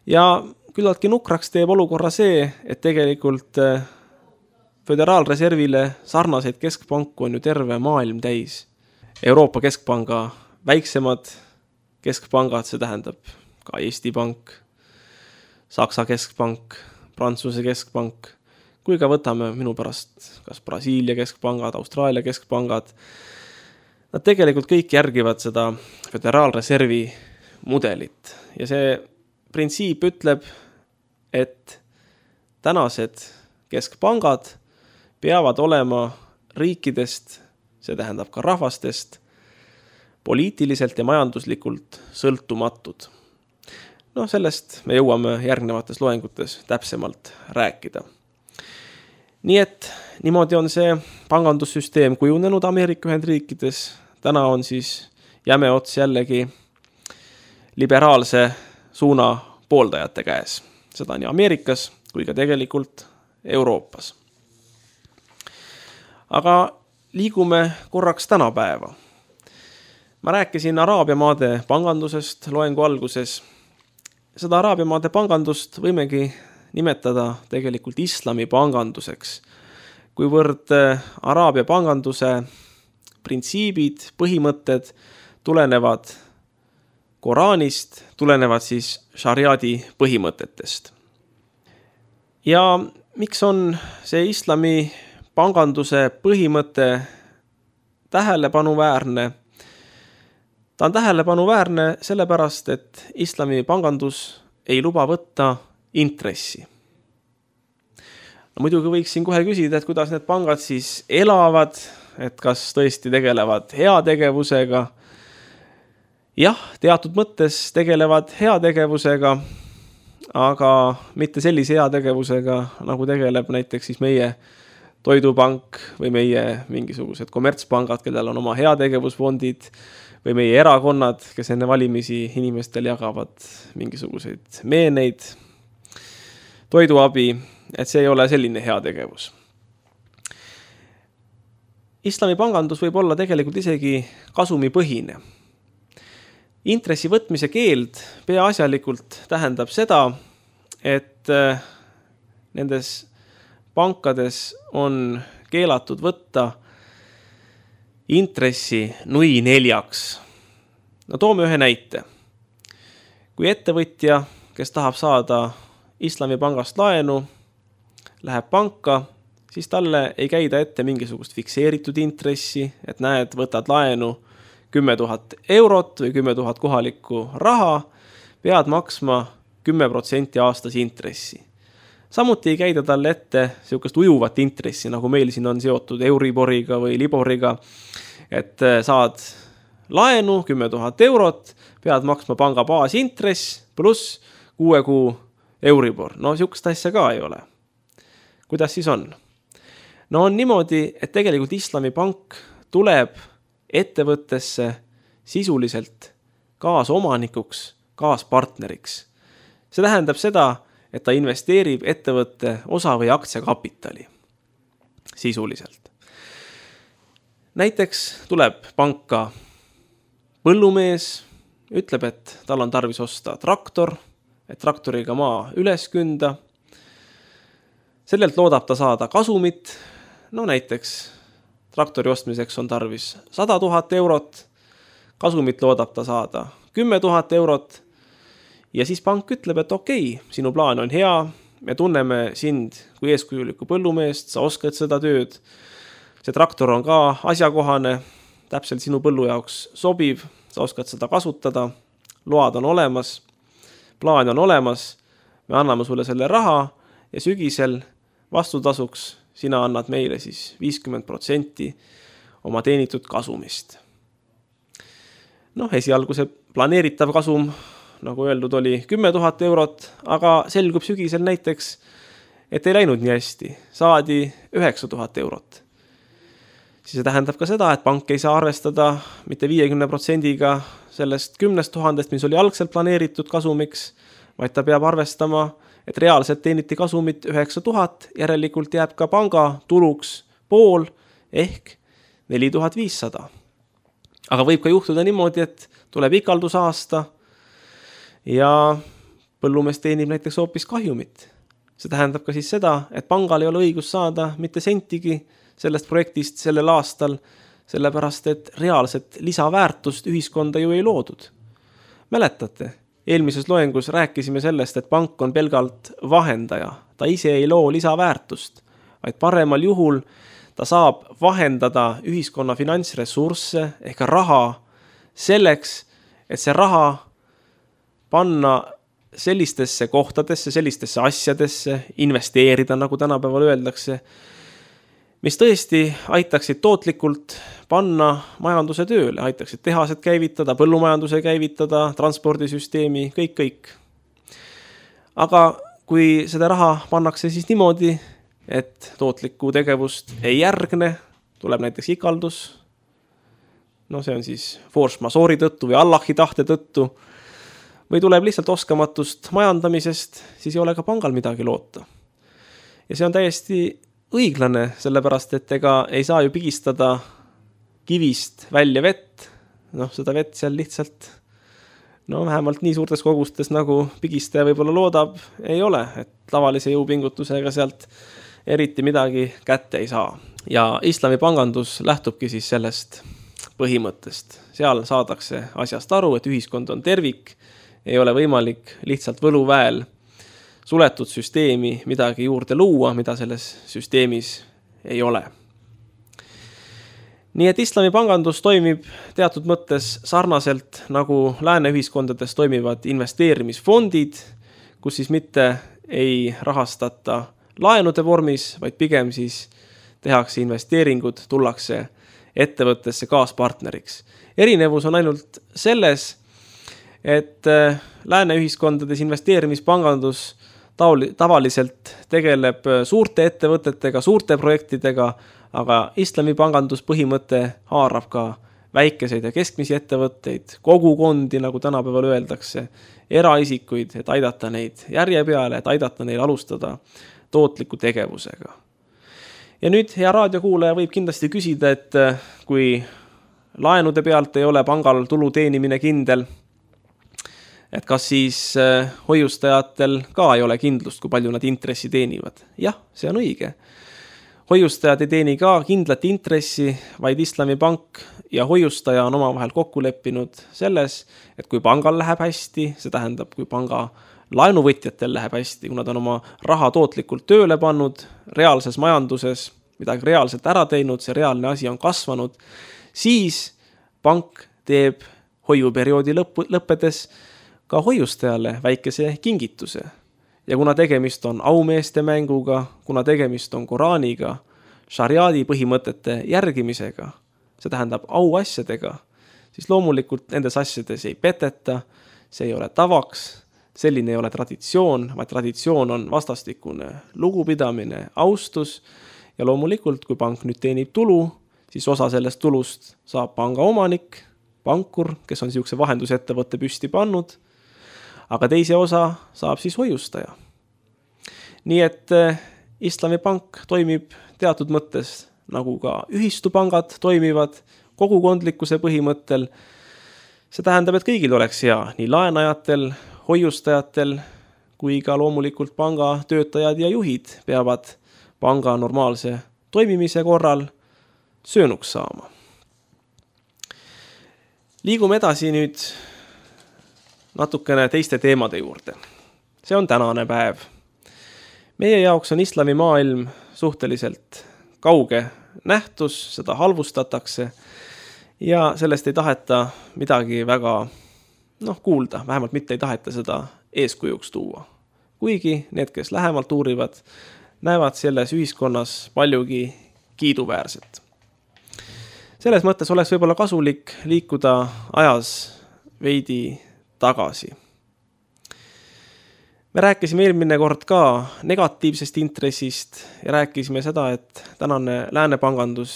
Ja küllaltki nukraks teeb olukorra see, et tegelikult Föderaalreservile sarnaseid keskpanku on ju terve maailm täis. Euroopa keskpanga väiksemad keskpangad, see tähendab ka Eesti Pank, Saksa keskpank, Prantsuse keskpank, kui ka võtame minu pärast kas Brasiilia keskpangad, Austraalia keskpangad. Nad tegelikult kõik järgivad seda Föderaalreservi mudelit ja see printsiip ütleb, et tänased keskpangad peavad olema riikidest, see tähendab ka rahvastest, poliitiliselt ja majanduslikult sõltumatud. No sellest me jõuame järgnevates loengutes täpsemalt rääkida. Nii et niimoodi on see pangandussüsteem kujunenud Ameerika Ühendriikides. Täna on siis jäme ots jällegi liberaalse suuna pooldajate käes. Seda nii Ameerikas kui ka tegelikult Euroopas. Aga liigume korraks tänapäeva. Ma rääkisin Araabia maade pangandusest loengu alguses. Seda Araabia maade pangandust võimegi nimetada tegelikult islami panganduseks, kuivõrd Araabia panganduse printsiibid, põhimõtted tulenevad Koraanist, tulenevad siis šariaadi põhimõtetest. Ja miks on see islami panganduse põhimõte tähelepanuväärne? Ta on tähelepanuväärne sellepärast, et islami pangandus ei luba võtta intressi. No, muidugi võiksin kohe küsida, et kuidas need pangad siis elavad, et kas tõesti tegelevad heategevusega. Jah, teatud mõttes tegelevad heategevusega, aga mitte sellise heategevusega, nagu tegeleb näiteks siis meie toidupank või meie mingisugused kommertspangad, kellel on oma heategevusfondid, või meie erakonnad, kes enne valimisi inimestel jagavad mingisuguseid meeneid, toiduabi, et see ei ole selline heategevus. Islami pangandus võib olla tegelikult isegi kasumipõhine. Intressi võtmise keeld peaasjalikult tähendab seda, et nendes pankades on keelatud võtta intressi nui 4. No toome ühe näite. Kui ettevõtja, kes tahab saada islami pangast laenu, läheb panka, siis talle ei käida ette mingisugust fikseeritud intressi, et näed, võtad laenu 10 000 eurot või 10 000 kohalikku raha, pead maksma 10% aastas intressi. Samuti ei käida talle ette sellist ujuvat intressi, nagu meil siin on seotud Euriboriga või Liboriga, et saad laenu 10 000 eurot, pead maksma panga baasintress pluss 6 kuu Euribor. No sellist asja ka ei ole. Kuidas siis on? No on niimoodi, et tegelikult islami pank tuleb ettevõttesse sisuliselt kaasomanikuks, kaaspartneriks. See tähendab seda, et ta investeerib ettevõtte osa või aktsiakapitali sisuliselt. Näiteks tuleb panka põllumees, ütleb, et tal on tarvis osta traktor, et traktoriga maa üles künda. Sellelt loodab ta saada kasumit, näiteks traktori ostmiseks on tarvis 100 000 eurot, kasumit loodab ta saada 10 000 eurot ja siis pank ütleb, et okei, sinu plaan on hea, me tunneme sind kui eeskujulikku põllumeest, sa oskad seda tööd, see traktor on ka asjakohane, täpselt sinu põllu jaoks sobiv, sa oskad seda kasutada, load on olemas, plaan on olemas, me anname sulle selle raha ja sügisel vastutasuks sina annad meile siis 50% oma teenitud kasumist. Esialgu see planeeritav kasum, nagu öeldud, oli 10 000 eurot, aga selgub sügisel näiteks, et ei läinud nii hästi, saadi 9 000 eurot. Siis see tähendab ka seda, et pank ei saa arvestada mitte 50%-ga sellest 10 000, mis oli algselt planeeritud kasumiks, vaid ta peab arvestama, et reaalselt teeniti kasumit 9 000, järelikult jääb ka panga tuluks pool ehk 4500. Aga võib ka juhtuda niimoodi, et tuleb ikaldusaasta ja põllumees teenib näiteks hoopis kahjumit. See tähendab ka siis seda, et pangal ei ole õigus saada mitte sentigi sellest projektist sellel aastal, sellepärast et reaalset lisaväärtust ühiskonda ju ei loodud. Mäletate, eelmises loengus rääkisime sellest, et pank on pelgalt vahendaja. Ta ise ei loo lisaväärtust, vaid paremal juhul ta saab vahendada ühiskonna finantsressursse ehk raha selleks, et see raha panna sellistesse kohtadesse, sellistesse asjadesse, investeerida, nagu tänapäeval öeldakse, mis tõesti aitaksid tootlikult panna majanduse tööle, aitaksid tehased käivitada, põllumajanduse käivitada, transpordisüsteemi, kõik. Aga kui seda raha pannakse siis niimoodi, et tootlikku tegevust ei järgne, tuleb näiteks ikaldus, see on siis force majeure'i tõttu või Allahi tahte tõttu, või tuleb lihtsalt oskamatust majandamisest, siis ei ole ka pangal midagi loota. Ja see on täiesti õiglane, sellepärast et ega ei saa ju pigistada kivist välja vett, seda vett seal lihtsalt, vähemalt nii suurtes kogustes, nagu pigistaja võib-olla loodab, ei ole, et tavalise jõupingutusega sealt eriti midagi kätte ei saa. Ja islami pangandus lähtubki siis sellest põhimõttest. Seal saadakse asjast aru, et ühiskond on tervik, ei ole võimalik lihtsalt võluväel suletud süsteemi midagi juurde luua, mida selles süsteemis ei ole. Nii et islami pangandus toimib teatud mõttes sarnaselt, nagu lääne ühiskondades toimivad investeerimisfondid, kus siis mitte ei rahastata laenude vormis, vaid pigem siis tehakse investeeringud, tullakse ettevõttesse kaaspartneriks. Erinevus on ainult selles, et lääne ühiskondades investeerimispangandus tavaliselt tegeleb suurte ettevõtetega, suurte projektidega, aga islami pangandus põhimõte haarab ka väikeseid ja keskmisi ettevõtteid, kogukondi, nagu tänapäeval öeldakse, eraisikuid, et aidata neid järje peale, et aidata neil alustada tootliku tegevusega. Ja nüüd hea raadiokuulaja võib kindlasti küsida, et kui laenude pealt ei ole pangal tulu teenimine kindel, et kas siis hoiustajatel ka ei ole kindlust, kui palju nad intressi teenivad. Jah, see on õige. Hoiustajad ei teeni ka kindlat intressi, vaid islami pank ja hoiustaja on omavahel kokku leppinud selles, et kui pangal läheb hästi, see tähendab, kui panga laenuvõtjatel läheb hästi, kui nad on oma raha tootlikult tööle pannud, reaalses majanduses, midagi reaalselt ära teinud, see reaalne asi on kasvanud, siis pank teeb hoiuperioodi lõppedes ka hoiustajale väikese kingituse. Ja kuna tegemist on aumeeste mänguga, kuna tegemist on Koraaniga, šariaadi põhimõtete järgimisega, see tähendab auasjadega, siis loomulikult nendes asjades ei peteta, see ei ole tavaks, selline ei ole traditsioon, vaid traditsioon on vastastikune lugupidamine, austus ja loomulikult, kui pank nüüd teenib tulu, siis osa sellest tulust saab panga omanik, pankur, kes on niisuguse vahendusettevõtte püsti pannud, aga teise osa saab siis hoiustaja. Nii et Islamipank toimib teatud mõttes nagu ka ühistupangad toimivad kogukondlikkuse põhimõttel. See tähendab, et kõigil oleks hea, nii laenajatel, hoiustajatel kui ka loomulikult panga töötajad ja juhid peavad panga normaalse toimimise korral söönuks saama. Liigume edasi nüüd natukene teiste teemade juurde. See on tänane päev. Meie jaoks on islamimaailm suhteliselt kauge nähtus, seda halvustatakse ja sellest ei taheta midagi väga kuulda, vähemalt mitte ei taheta seda eeskujuks tuua. Kuigi need, kes lähemalt uurivad, näevad selles ühiskonnas paljugi kiiduväärset. Selles mõttes oleks võib-olla kasulik liikuda ajas veidi tagasi. Me rääkisime eelmine kord ka negatiivsest intressist ja rääkisime seda, et tänane läänepangandus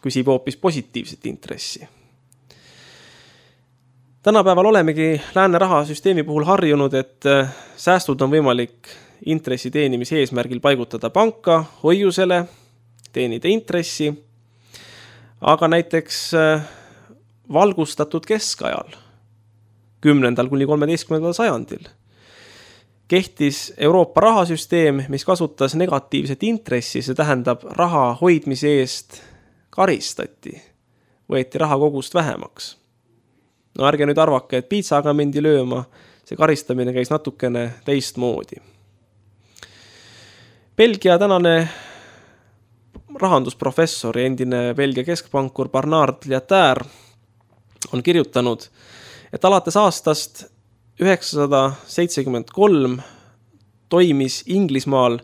küsib hoopis positiivset intressi. Tänapäeval olemegi lääne rahasüsteemi puhul harjunud, et säästud on võimalik intressi teenimise eesmärgil paigutada panka, hoiusele, teenida intressi, aga näiteks valgustatud keskajal, 10. kuni 13. sajandil, kehtis Euroopa rahasüsteem, mis kasutas negatiivset intressi, see tähendab raha hoidmise eest karistati, võeti raha kogust vähemaks. No ärge nüüd arvake, et piitsaga mindi lööma, see karistamine käis natukene teistmoodi. Belgia tänane rahandusprofessor ja endine Belgia keskpankur Bernard Lietaer on kirjutanud, et alates aastast 1973 toimis Inglismaal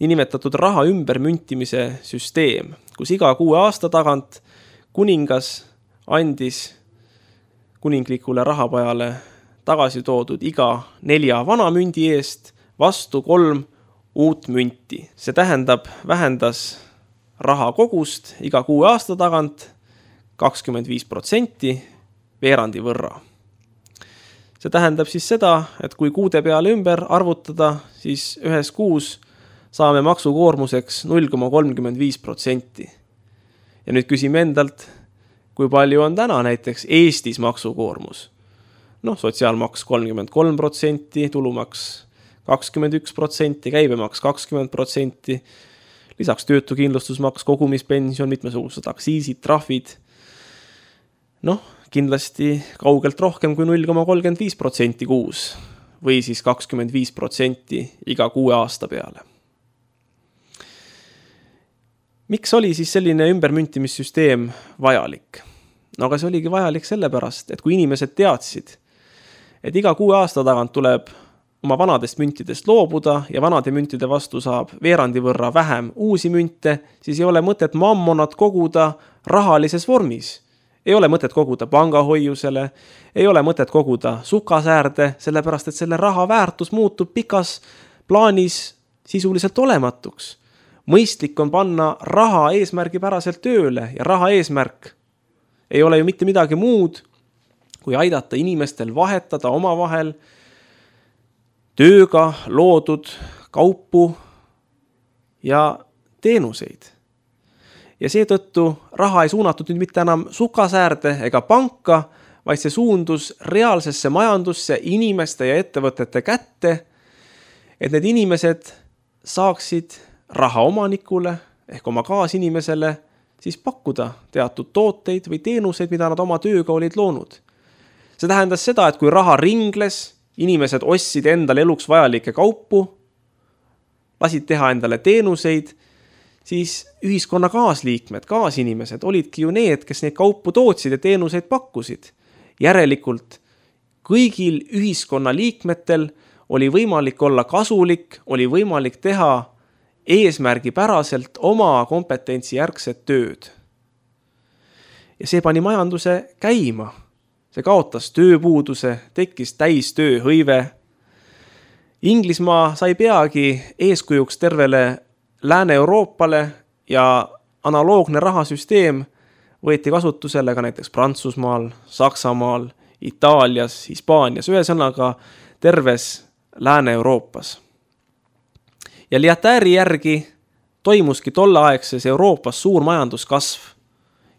niinimetatud raha ümbermüntimise süsteem, kus iga 6 aasta tagant kuningas andis kuninglikule rahapajale tagasi toodud iga 4 vana mündi eest vastu 3 uut münti. See tähendab, vähendas raha kogust iga 6 aasta tagant 25% veerandi võrra. See tähendab siis seda, et kui kuude peale ümber arvutada, siis ühes kuus saame maksukoormuseks 0,35%. Ja nüüd küsime endalt, kui palju on täna näiteks Eestis maksukoormus? Sotsiaalmaks 33%, tulumaks 21%, käibemaks 20%, lisaks töötukindlustusmaks, kogumispension, mitmesugused aktsiisid, trahvid. Kindlasti kaugelt rohkem kui 0,35% kuus või siis 25% iga 6 aasta peale. Miks oli siis selline ümbermüntimissüsteem vajalik? Aga see oligi vajalik sellepärast, et kui inimesed teadsid, et iga 6 aasta tagant tuleb oma vanadest müntidest loobuda ja vanade müntide vastu saab veerandi võrra vähem uusi münte, siis ei ole mõtet mammonat koguda rahalises vormis. Ei ole mõtet koguda pangahoiusele, ei ole mõtet koguda sukasäärde, sellepärast et selle raha väärtus muutub pikas plaanis sisuliselt olematuks. Mõistlik on panna raha eesmärgipäraselt tööle ja raha eesmärk ei ole ju mitte midagi muud, kui aidata inimestel vahetada omavahel tööga loodud kaupu ja teenuseid. Ja seetõttu raha ei suunatud nüüd mitte enam sukasäärde ega panka, vaid see suundus reaalsesse majandusse, inimeste ja ettevõtete kätte, et need inimesed saaksid raha omanikule ehk oma kaasinimesele siis pakkuda teatud tooteid või teenuseid, mida nad oma tööga olid loonud. See tähendas seda, et kui raha ringles, inimesed ostsid endale eluks vajalikke kaupu, lasid teha endale teenuseid, siis ühiskonna kaasliikmed, kaasinimesed olidki ju need, kes neid kaupu tootsid ja teenuseid pakkusid. Järelikult kõigil ühiskonna liikmetel oli võimalik olla kasulik, oli võimalik teha eesmärgipäraselt oma kompetentsi järgset tööd. Ja see pani majanduse käima. See kaotas tööpuuduse, tekkis täistööhõive. Inglismaa sai peagi eeskujuks tervele Lääne-Euroopale ja analoogne rahasüsteem võeti kasutusele ka näiteks Prantsusmaal, Saksamaal, Itaalias, Hispaanias, ühesõnaga terves Lääne-Euroopas. Ja Lyotari järgi toimuski tolleaegses Euroopas suur majanduskasv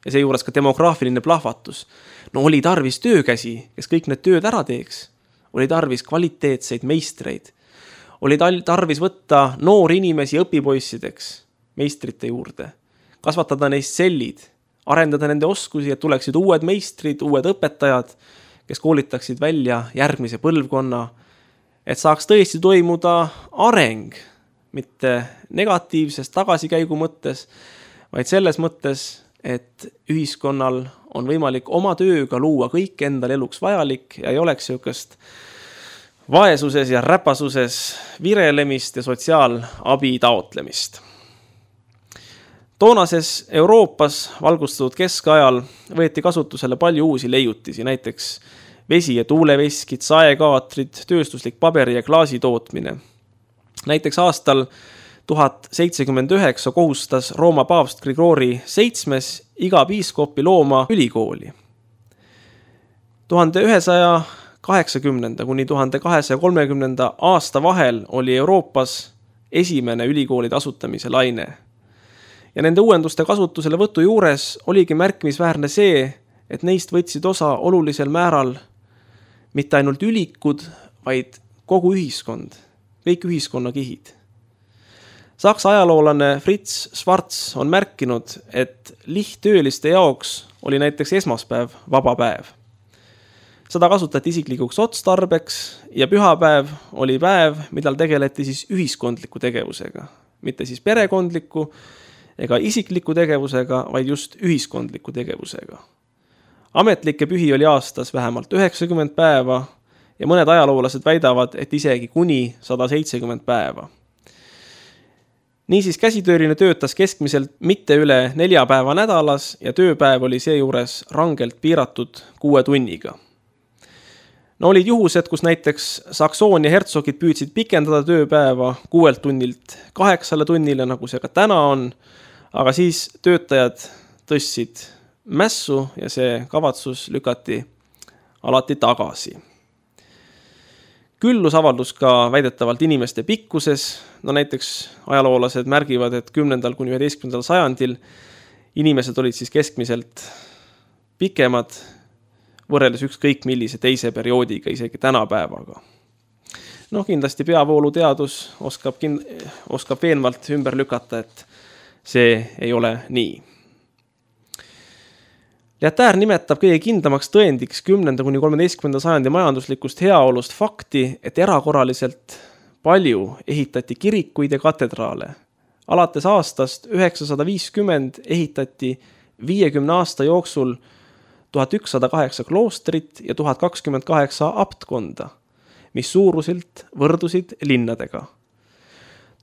ja seejuures ka demograafiline plahvatus. No oli tarvis töökäsi, kes kõik need tööd ära teeks. Oli tarvis kvaliteetseid meistreid. Oli tarvis võtta noori inimesi õpipoissideks meistrite juurde, kasvatada neist sellid, arendada nende oskusi, et tuleksid uued meistrid, uued õpetajad, kes koolitaksid välja järgmise põlvkonna, et saaks tõesti toimuda areng, mitte negatiivses tagasikäigu mõttes, vaid selles mõttes, et ühiskonnal on võimalik oma tööga luua kõik endal eluks vajalik ja ei oleks niisugust vaesuses ja räpasuses virelemist ja sotsiaalabi taotlemist. Toonases Euroopas valgustatud keskajal võeti kasutusele palju uusi leiutisi, näiteks vesi- ja tuuleveskid, saekaatrid, tööstuslik paberi- ja klaasi tootmine. Näiteks aastal 1079 kohustas Rooma paavst Grigori VII iga piiskopi looma ülikooli. 1180 kuni 1230 aasta vahel oli Euroopas esimene ülikoolide asutamise laine. Ja nende uuenduste kasutusele võtu juures oligi märkimisväärne see, et neist võtsid osa olulisel määral mitte ainult ülikud, vaid kogu ühiskond, kõik ühiskonnakihid. Saksa ajaloolane Fritz Schwarz on märkinud, et lihttööliste jaoks oli näiteks esmaspäev vaba päev. Seda kasutati isiklikuks otstarbeks ja pühapäev oli päev, millal tegeleti siis ühiskondliku tegevusega, mitte siis perekondliku ega isikliku tegevusega, vaid just ühiskondliku tegevusega. Ametlikke pühi oli aastas vähemalt 90 päeva ja mõned ajaloolased väidavad, et isegi kuni 170 päeva. Niisiis käsitööline töötas keskmiselt mitte üle 4 päeva nädalas ja tööpäev oli seejuures rangelt piiratud 6 tunniga. No olid juhused, kus näiteks Saksoonia hertsogid püüdsid pikendada tööpäeva 6 tunnilt 8 tunnile, nagu see ka täna on, aga siis töötajad tõstsid mässu ja see kavatsus lükati alati tagasi. Küllus avaldus ka väidetavalt inimeste pikkuses, no näiteks ajaloolased märgivad, et 10. kuni 11. sajandil inimesed olid siis keskmiselt pikemad võrreldes ükskõik millise teise perioodiga, isegi tänapäevaga. No kindlasti peavooluteadus oskab veenvalt ümber lükata, et see ei ole nii. Lyotard nimetab kõige kindlamaks tõendiks 10. kuni 13. sajandi majanduslikust heaolust fakti, et erakorraliselt palju ehitati kirikuid ja katedraale. Alates aastast 950 ehitati 50 aasta jooksul 1108 kloostrit ja 1028 aptkonda, mis suuruselt võrdusid linnadega.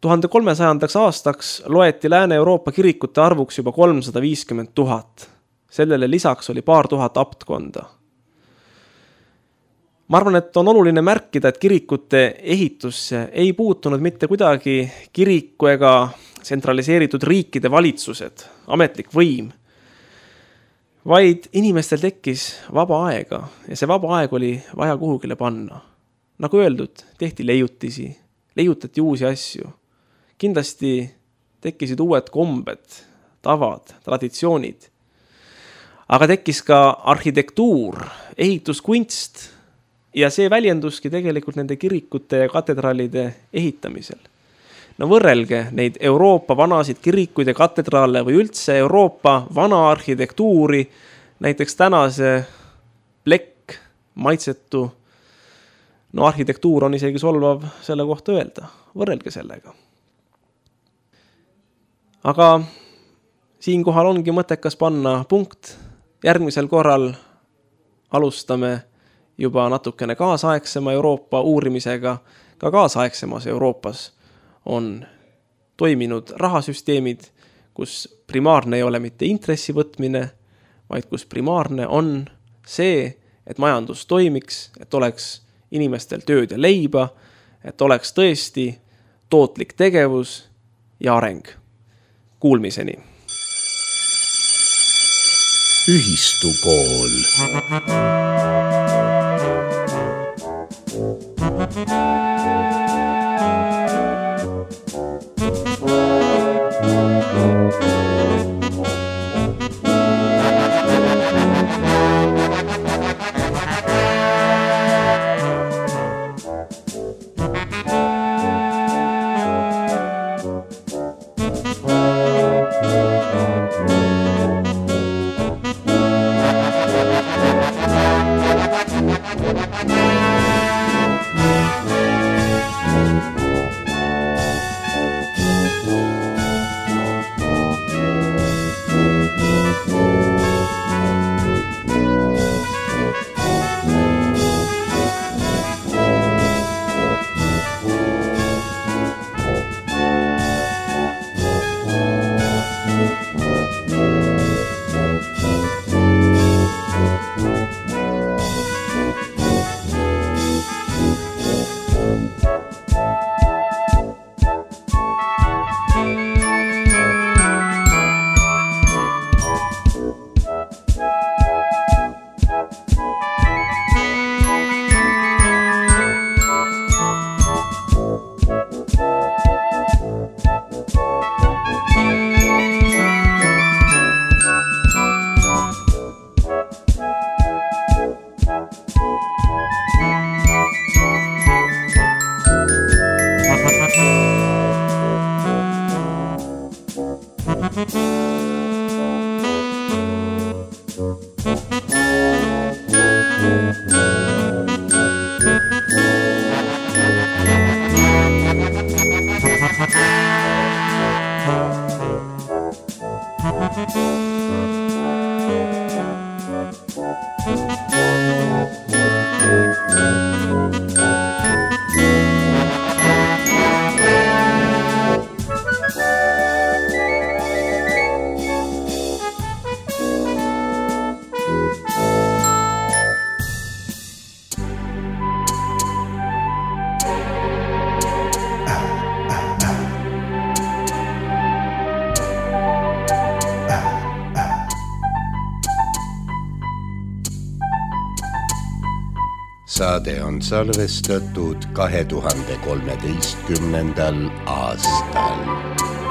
1300 aastaks loeti Lääne-Euroopa kirikute arvuks juba 350 000. Sellele lisaks oli paar tuhat aptkonda. Ma arvan, et on oluline märkida, et kirikute ehitusse ei puutunud mitte kuidagi kiriku ega tsentraliseeritud riikide valitsused, ametlik võim, vaid inimestel tekkis vaba aega ja see vaba aeg oli vaja kuhugile panna. Nagu öeldud, tehti leiutisi, leiutati uusi asju. Kindlasti tekkisid uued kombed, tavad, traditsioonid. Aga tekkis ka arhitektuur, ehituskunst ja see väljenduski tegelikult nende kirikute ja katedraalide ehitamisel. No võrrelge neid Euroopa vanasid kirikuid ja katedraale või üldse Euroopa vana arhitektuuri, näiteks tänase plekk, maitsetu. No arhitektuur on isegi solvav selle kohta öelda, võrrelge sellega. Aga siinkohal ongi mõttekas panna punkt. Järgmisel korral alustame juba natukene kaasaegsema Euroopa uurimisega. Ka kaasaegsemas Euroopas on toiminud rahasüsteemid, kus primaarne ei ole mitte intressi võtmine, vaid kus primaarne on see, et majandus toimiks, et oleks inimestel tööd ja leiba, et oleks tõesti tootlik tegevus ja areng. Kuulmiseni! ühistukool. Saade on salvestatud 2013. aastal.